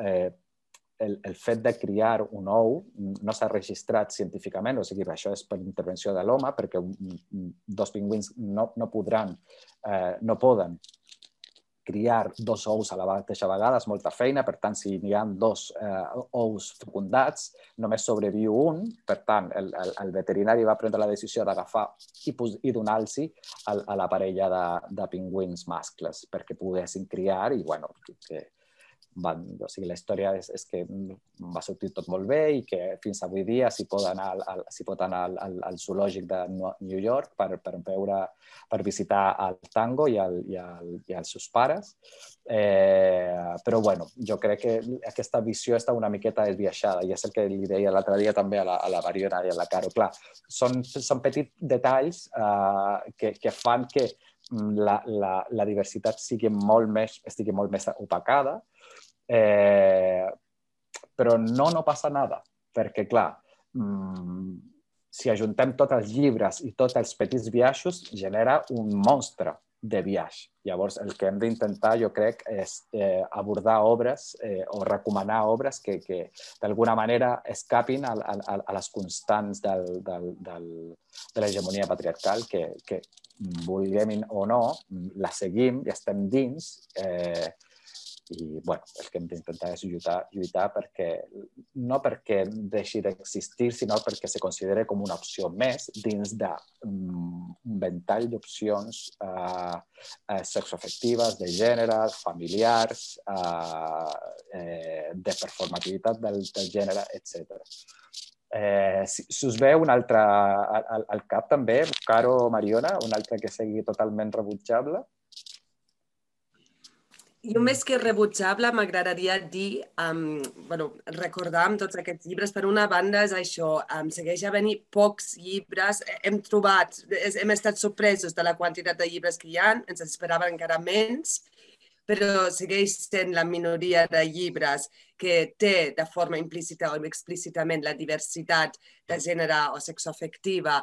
el fet de criar un ou no s'ha registrat científicament, o sigui, això és per intervenció de l'home, perquè dos pingüins no poden criar dos ous a la mateixa vegada, és molta feina, per tant, si n'hi ha dos ous fecundats, només sobreviu un, per tant, el veterinari va prendre la decisió d'agafar i donar-los a la parella de pingüins mascles perquè poguessin criar i, bueno, la història és que va sortir tot molt bé i que fins avui dia s'hi pot anar al zoològic de New York per visitar el Tango i els seus pares. Però, bueno, jo crec que aquesta visió està una miqueta desviaixada i és el que li deia l'altre dia també a la Mariona i a la Caro. Clar, són petits detalls que fan que la diversitat estigui molt més opacada, però no passa nada, perquè, clar, si ajuntem tots els llibres i tots els petits viatges, genera un monstre de viatge. Llavors, el que hem d'intentar, jo crec, és abordar obres o recomanar obres que d'alguna manera escapin a les constants de l'hegemonia patriarcal, que vulguem o no, la seguim i estem dins. I, bueno, el que hem d'intentar és lluitar no perquè deixi d'existir, sinó perquè se consideri com una opció més dins d'un ventall d'opcions sexoafectives, de gènere, familiars, de performativitat del gènere, etc. Si us ve un altre al cap també, Caro o Mariona, un altre que sigui totalment rebutjable? Jo més que rebutjable m'agradaria dir, recordar amb tots aquests llibres, per una banda és això, segueix havent-hi pocs llibres, hem estat sorpresos de la quantitat de llibres que hi ha, ens esperaven encara menys, però segueix sent la minoria de llibres que té de forma implícita o explícitament la diversitat de gènere o sexoafectiva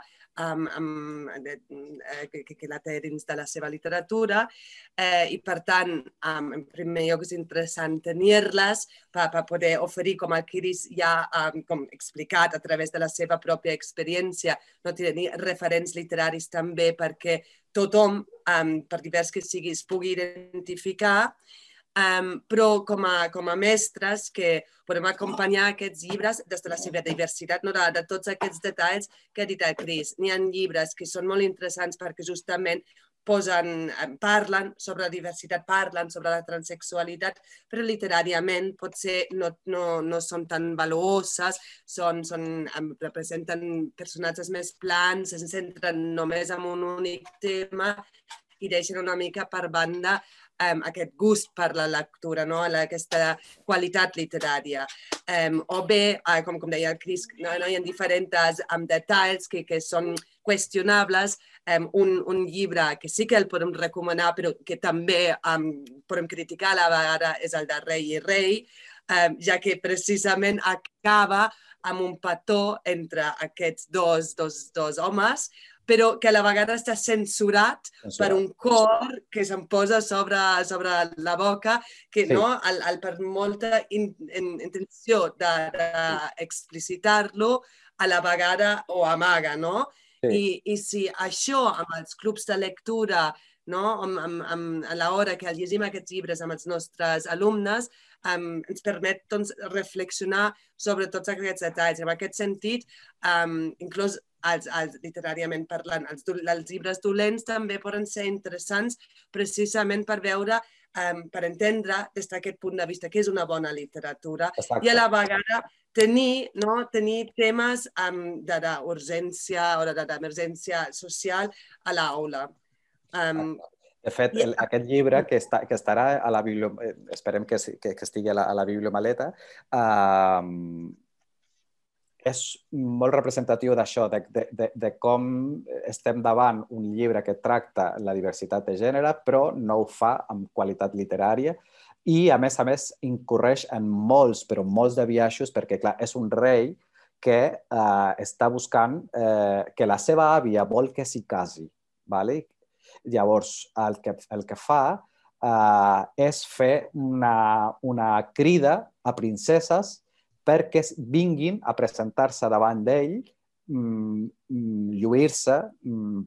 que la té dins de la seva literatura i, per tant, en primer lloc és interessant tenir-les per poder oferir, com el Chris ja ha explicat a través de la seva pròpia experiència, tenir referents literaris també perquè tothom, per divers que sigui, es pugui identificar, però com a mestres que podem acompanyar aquests llibres des de la seva diversitat, de tots aquests detalls que ha dit el Chris. N'hi ha llibres que són molt interessants perquè justament parlen sobre la diversitat, parlen sobre la transsexualitat, però literàriament potser no són tan valuoses, representen personatges més plans, es centren només en un únic tema i deixen una mica per banda aquest gust per la lectura, aquesta qualitat literària. O bé, com deia el Chris, hi ha diferents detalls que són qüestionables. Un llibre que sí que el podem recomanar, però que també podem criticar a la vegada, és el de Rei i Rei, ja que precisament acaba amb un petó entre aquests dos homes, però que a la vegada està censurat per un cor que se'n posa sobre la boca, que Sí. no, per molta intenció d'explicitar-lo, a la vegada ho amaga, no? Sí. I si això amb els clubs de lectura, no? A l'hora que llegim aquests llibres amb els nostres alumnes, ens permet doncs, reflexionar sobre tots aquests detalls. En aquest sentit, inclús literàriament parlant, els llibres dolents també poden ser interessants precisament per veure, per entendre des d'aquest punt de vista que és una bona literatura. Exacte. I a la vegada tenir temes d'urgència o d'emergència social a l'aula. De fet, aquest llibre que estarà a la biblioteca, esperem que estigui a la bibliomaleta, és molt representatiu d'això, de com estem davant un llibre que tracta la diversitat de gènere, però no ho fa amb qualitat literària i, a més, incorreix en molts, però molts de biaixos, perquè, clar, és un rei que està buscant que la seva àvia vol que s'hi casi. Llavors, el que fa és fer una crida a princeses perquè vinguin a presentar-se davant d'ell, lluir-se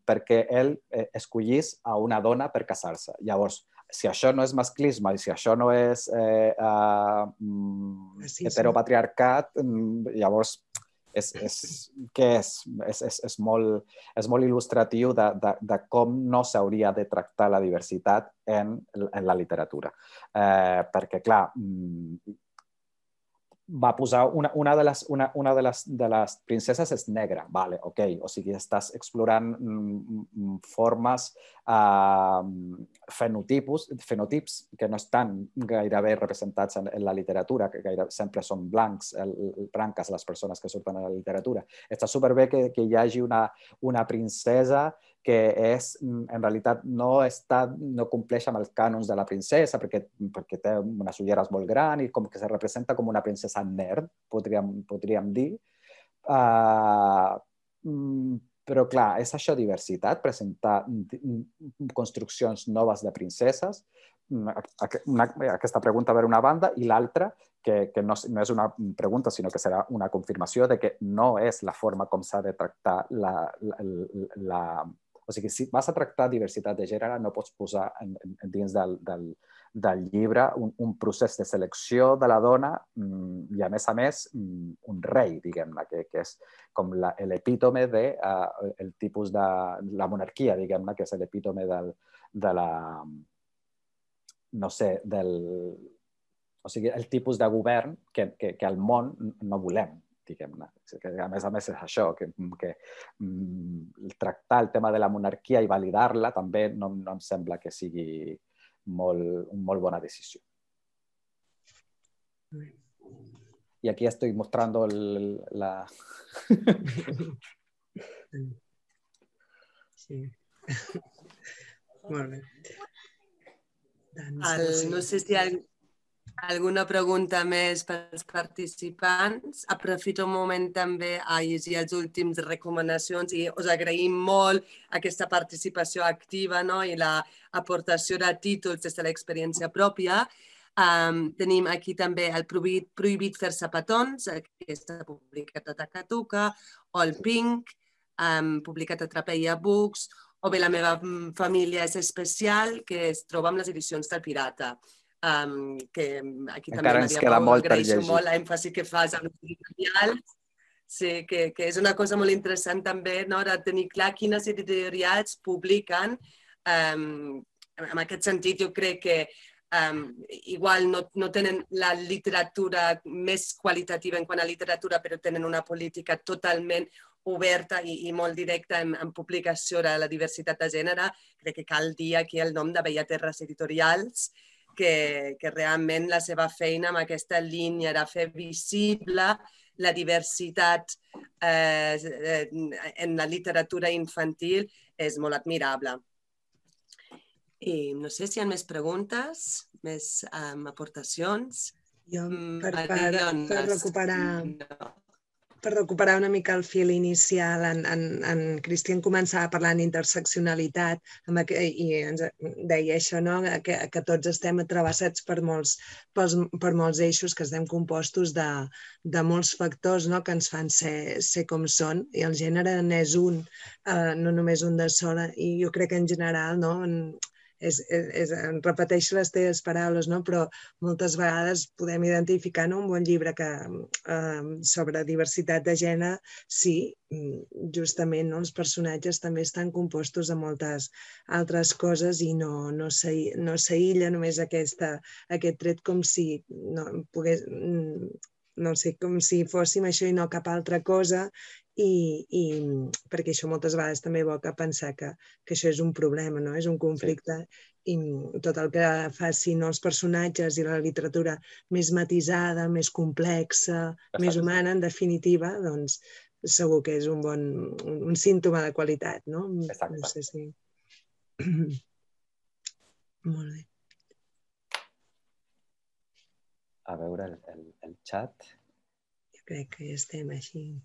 perquè ell escollís a una dona per casar-se. Llavors, si això no és masclisme i si això no és heteropatriarcat, llavors què és? És molt il·lustratiu de com no s'hauria de tractar la diversitat en la literatura. Perquè, clar, va posar una de les princeses és negra, vale, ok, o sigui, estàs explorant formes, fenotips que no estan gairebé representats en la literatura, que sempre són blanques les persones que surten a la literatura. Està superbé que hi hagi una princesa que en realitat no compleix amb els cànons de la princesa perquè té unes ulleres molt grans i com que se representa com una princesa nerd, podríem dir. Però, clar, és això diversitat, presentar construccions noves de princeses. Aquesta pregunta per una banda i l'altra, que no és una pregunta, sinó que serà una confirmació de que no és la forma com s'ha de tractar O sigui, si vas a tractar diversitat de gènere, no pots posar dins del llibre un procés de selecció de la dona i, a més, un rei, diguem-ne, que és com l'epítome del tipus de la monarquia, diguem-ne, que és l'epítome de la... no sé, o sigui, el tipus de govern que al món no volem, diguem-ne. A més és això, que tractar el tema de la monarquia i validar-la també no em sembla que sigui una molt bona decisió. Y aquí estoy mostrando la... Sí. Molt bé. No sé si hi ha alguna pregunta més pels participants. Aprofito un moment també a llegir els últims recomanacions i us agraïm molt aquesta participació activa i l'aportació de títols des de l'experiència pròpia. Tenim aquí també el Prohibit fer-se petons, que està publicat a Takatuka, o el Pink, publicat a Trapeia Books, o bé La meva família és especial, que es troba amb les edicions del Pirata. Que aquí també, Maria Pau, agraeixo molt l'èmfasi que fas amb editorials. Sí, que és una cosa molt interessant també de tenir clar quines editorials publiquen. En aquest sentit, jo crec que igual no tenen la literatura més qualitativa en quant a literatura, però tenen una política totalment oberta i molt directa en publicació de la diversitat de gènere. Crec que cal dir aquí el nom de Bellaterres Editorials, que realment la seva feina amb aquesta línia de fer visible la diversitat en la literatura infantil és molt admirable. I no sé si hi ha més preguntes, més aportacions. Jo, per recuperar... per recuperar una mica el fil inicial, en Cristian començava parlant d'interseccionalitat i ens deia això, no? que tots estem travessats per molts eixos, que estem compostos de molts factors, no? que ens fan ser com són, i el gènere n'és un, no només un de sola, i jo crec que en general, no? Repeteixo les teves paraules, no? Però moltes vegades podem identificar un bon llibre sobre diversitat de gènere, sí, justament els personatges també estan compostos de moltes altres coses i no s'aïlla només aquest tret com si pogués... no sé, com si fóssim això i no cap altra cosa, perquè això moltes vegades també evoca pensar que això és un problema, no? És un conflicte, i tot el que facin els personatges i la literatura més matisada, més complexa, més humana, en definitiva, doncs segur que és un símptoma de qualitat, no? Exacte. No sé si... Molt bé. A veure el xat. Jo crec que ja estem així.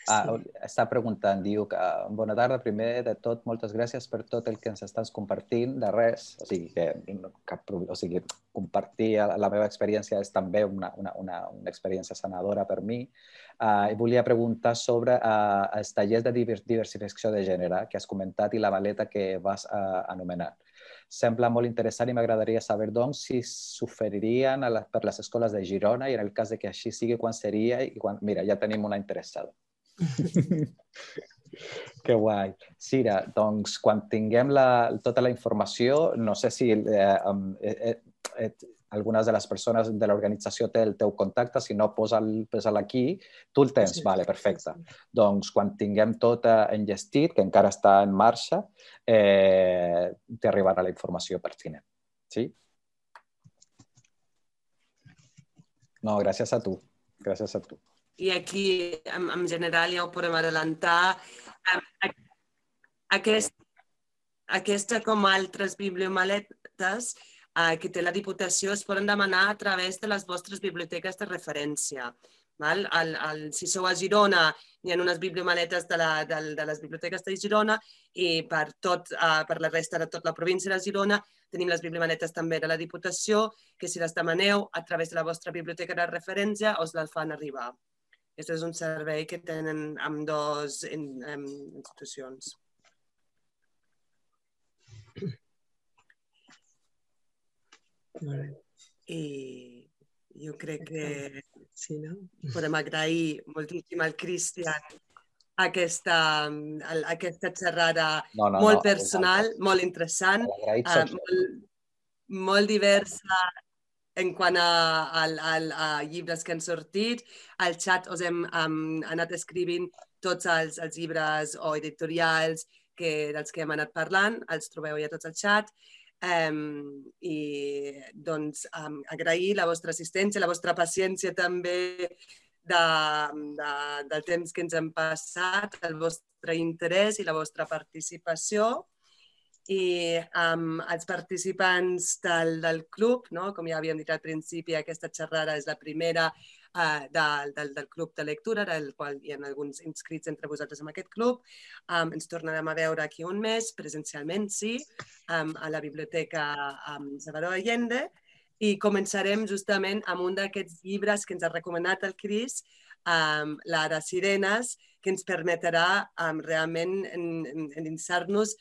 Està preguntant, diu que bona tarda, primer de tot, moltes gràcies per tot el que ens estàs compartint, de res, o sigui, compartir la meva experiència és també una experiència sanadora per mi. I volia preguntar sobre els tallers de diversificació de gènere que has comentat i la maleta que vas anomenar. Sembla molt interessant i m'agradaria saber, doncs, si s'oferirien per les escoles de Girona i en el cas que així sigui, quan seria i quan... Mira, ja tenim una interessada. Que guai. Sira, doncs, quan tinguem tota la informació, no sé si algunes de les persones de l'organització té el teu contacte, si no, posa-la aquí. Tu el tens? Vale, perfecte. Doncs, quan tinguem tot enllestit, que encara està en marxa, t'arribarà la informació pertinent. Sí? No, gràcies a tu. Gràcies a tu. I aquí, en general, ja ho podem adelantar. Aquesta, com altres bibliomaletes que té la Diputació, es poden demanar a través de les vostres biblioteques de referència. Si sou a Girona, hi ha unes bibliomaletes de les biblioteques de Girona i per la resta de tota la província de Girona tenim les bibliomaletes també de la Diputació, que si les demaneu a través de la vostra biblioteca de referència us les fan arribar. Aquest és un servei que tenen ambdues institucions. I jo crec que podem agrair moltíssim al Cristian aquesta xerrada molt personal, molt interessant, molt diversa en quant a llibres que han sortit. Al xat us hem anat escrivint tots els llibres o editorials dels que hem anat parlant, els trobeu ja tots al xat. I doncs agrair la vostra assistència, la vostra paciència també del temps que ens hem passat, el vostre interès i la vostra participació. I els participants del club, com ja havíem dit al principi, aquesta xerrada és la primera del club de lectura, del qual hi ha alguns inscrits entre vosaltres en aquest club. Ens tornarem a veure aquí un mes, presencialment, sí, a la Biblioteca Salvador Allende, i començarem justament amb un d'aquests llibres que ens ha recomanat el Cris, la de Sirenes, que ens permetrà realment endinsar-nos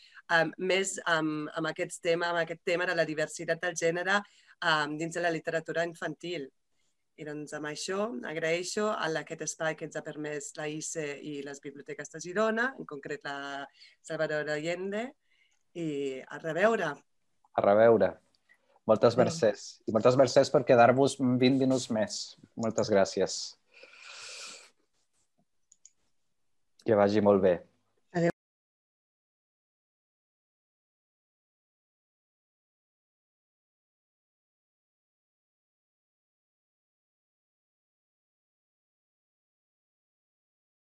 més amb aquest tema de la diversitat del gènere dins de la literatura infantil. I doncs amb això agraeixo aquest espai que ens ha permès la ICE i les biblioteques de Girona, en concret la Salvador Allende, i a reveure. A reveure. Moltes mercès. I moltes mercès per quedar-vos 20 minuts més. Moltes gràcies. Que vagi molt bé.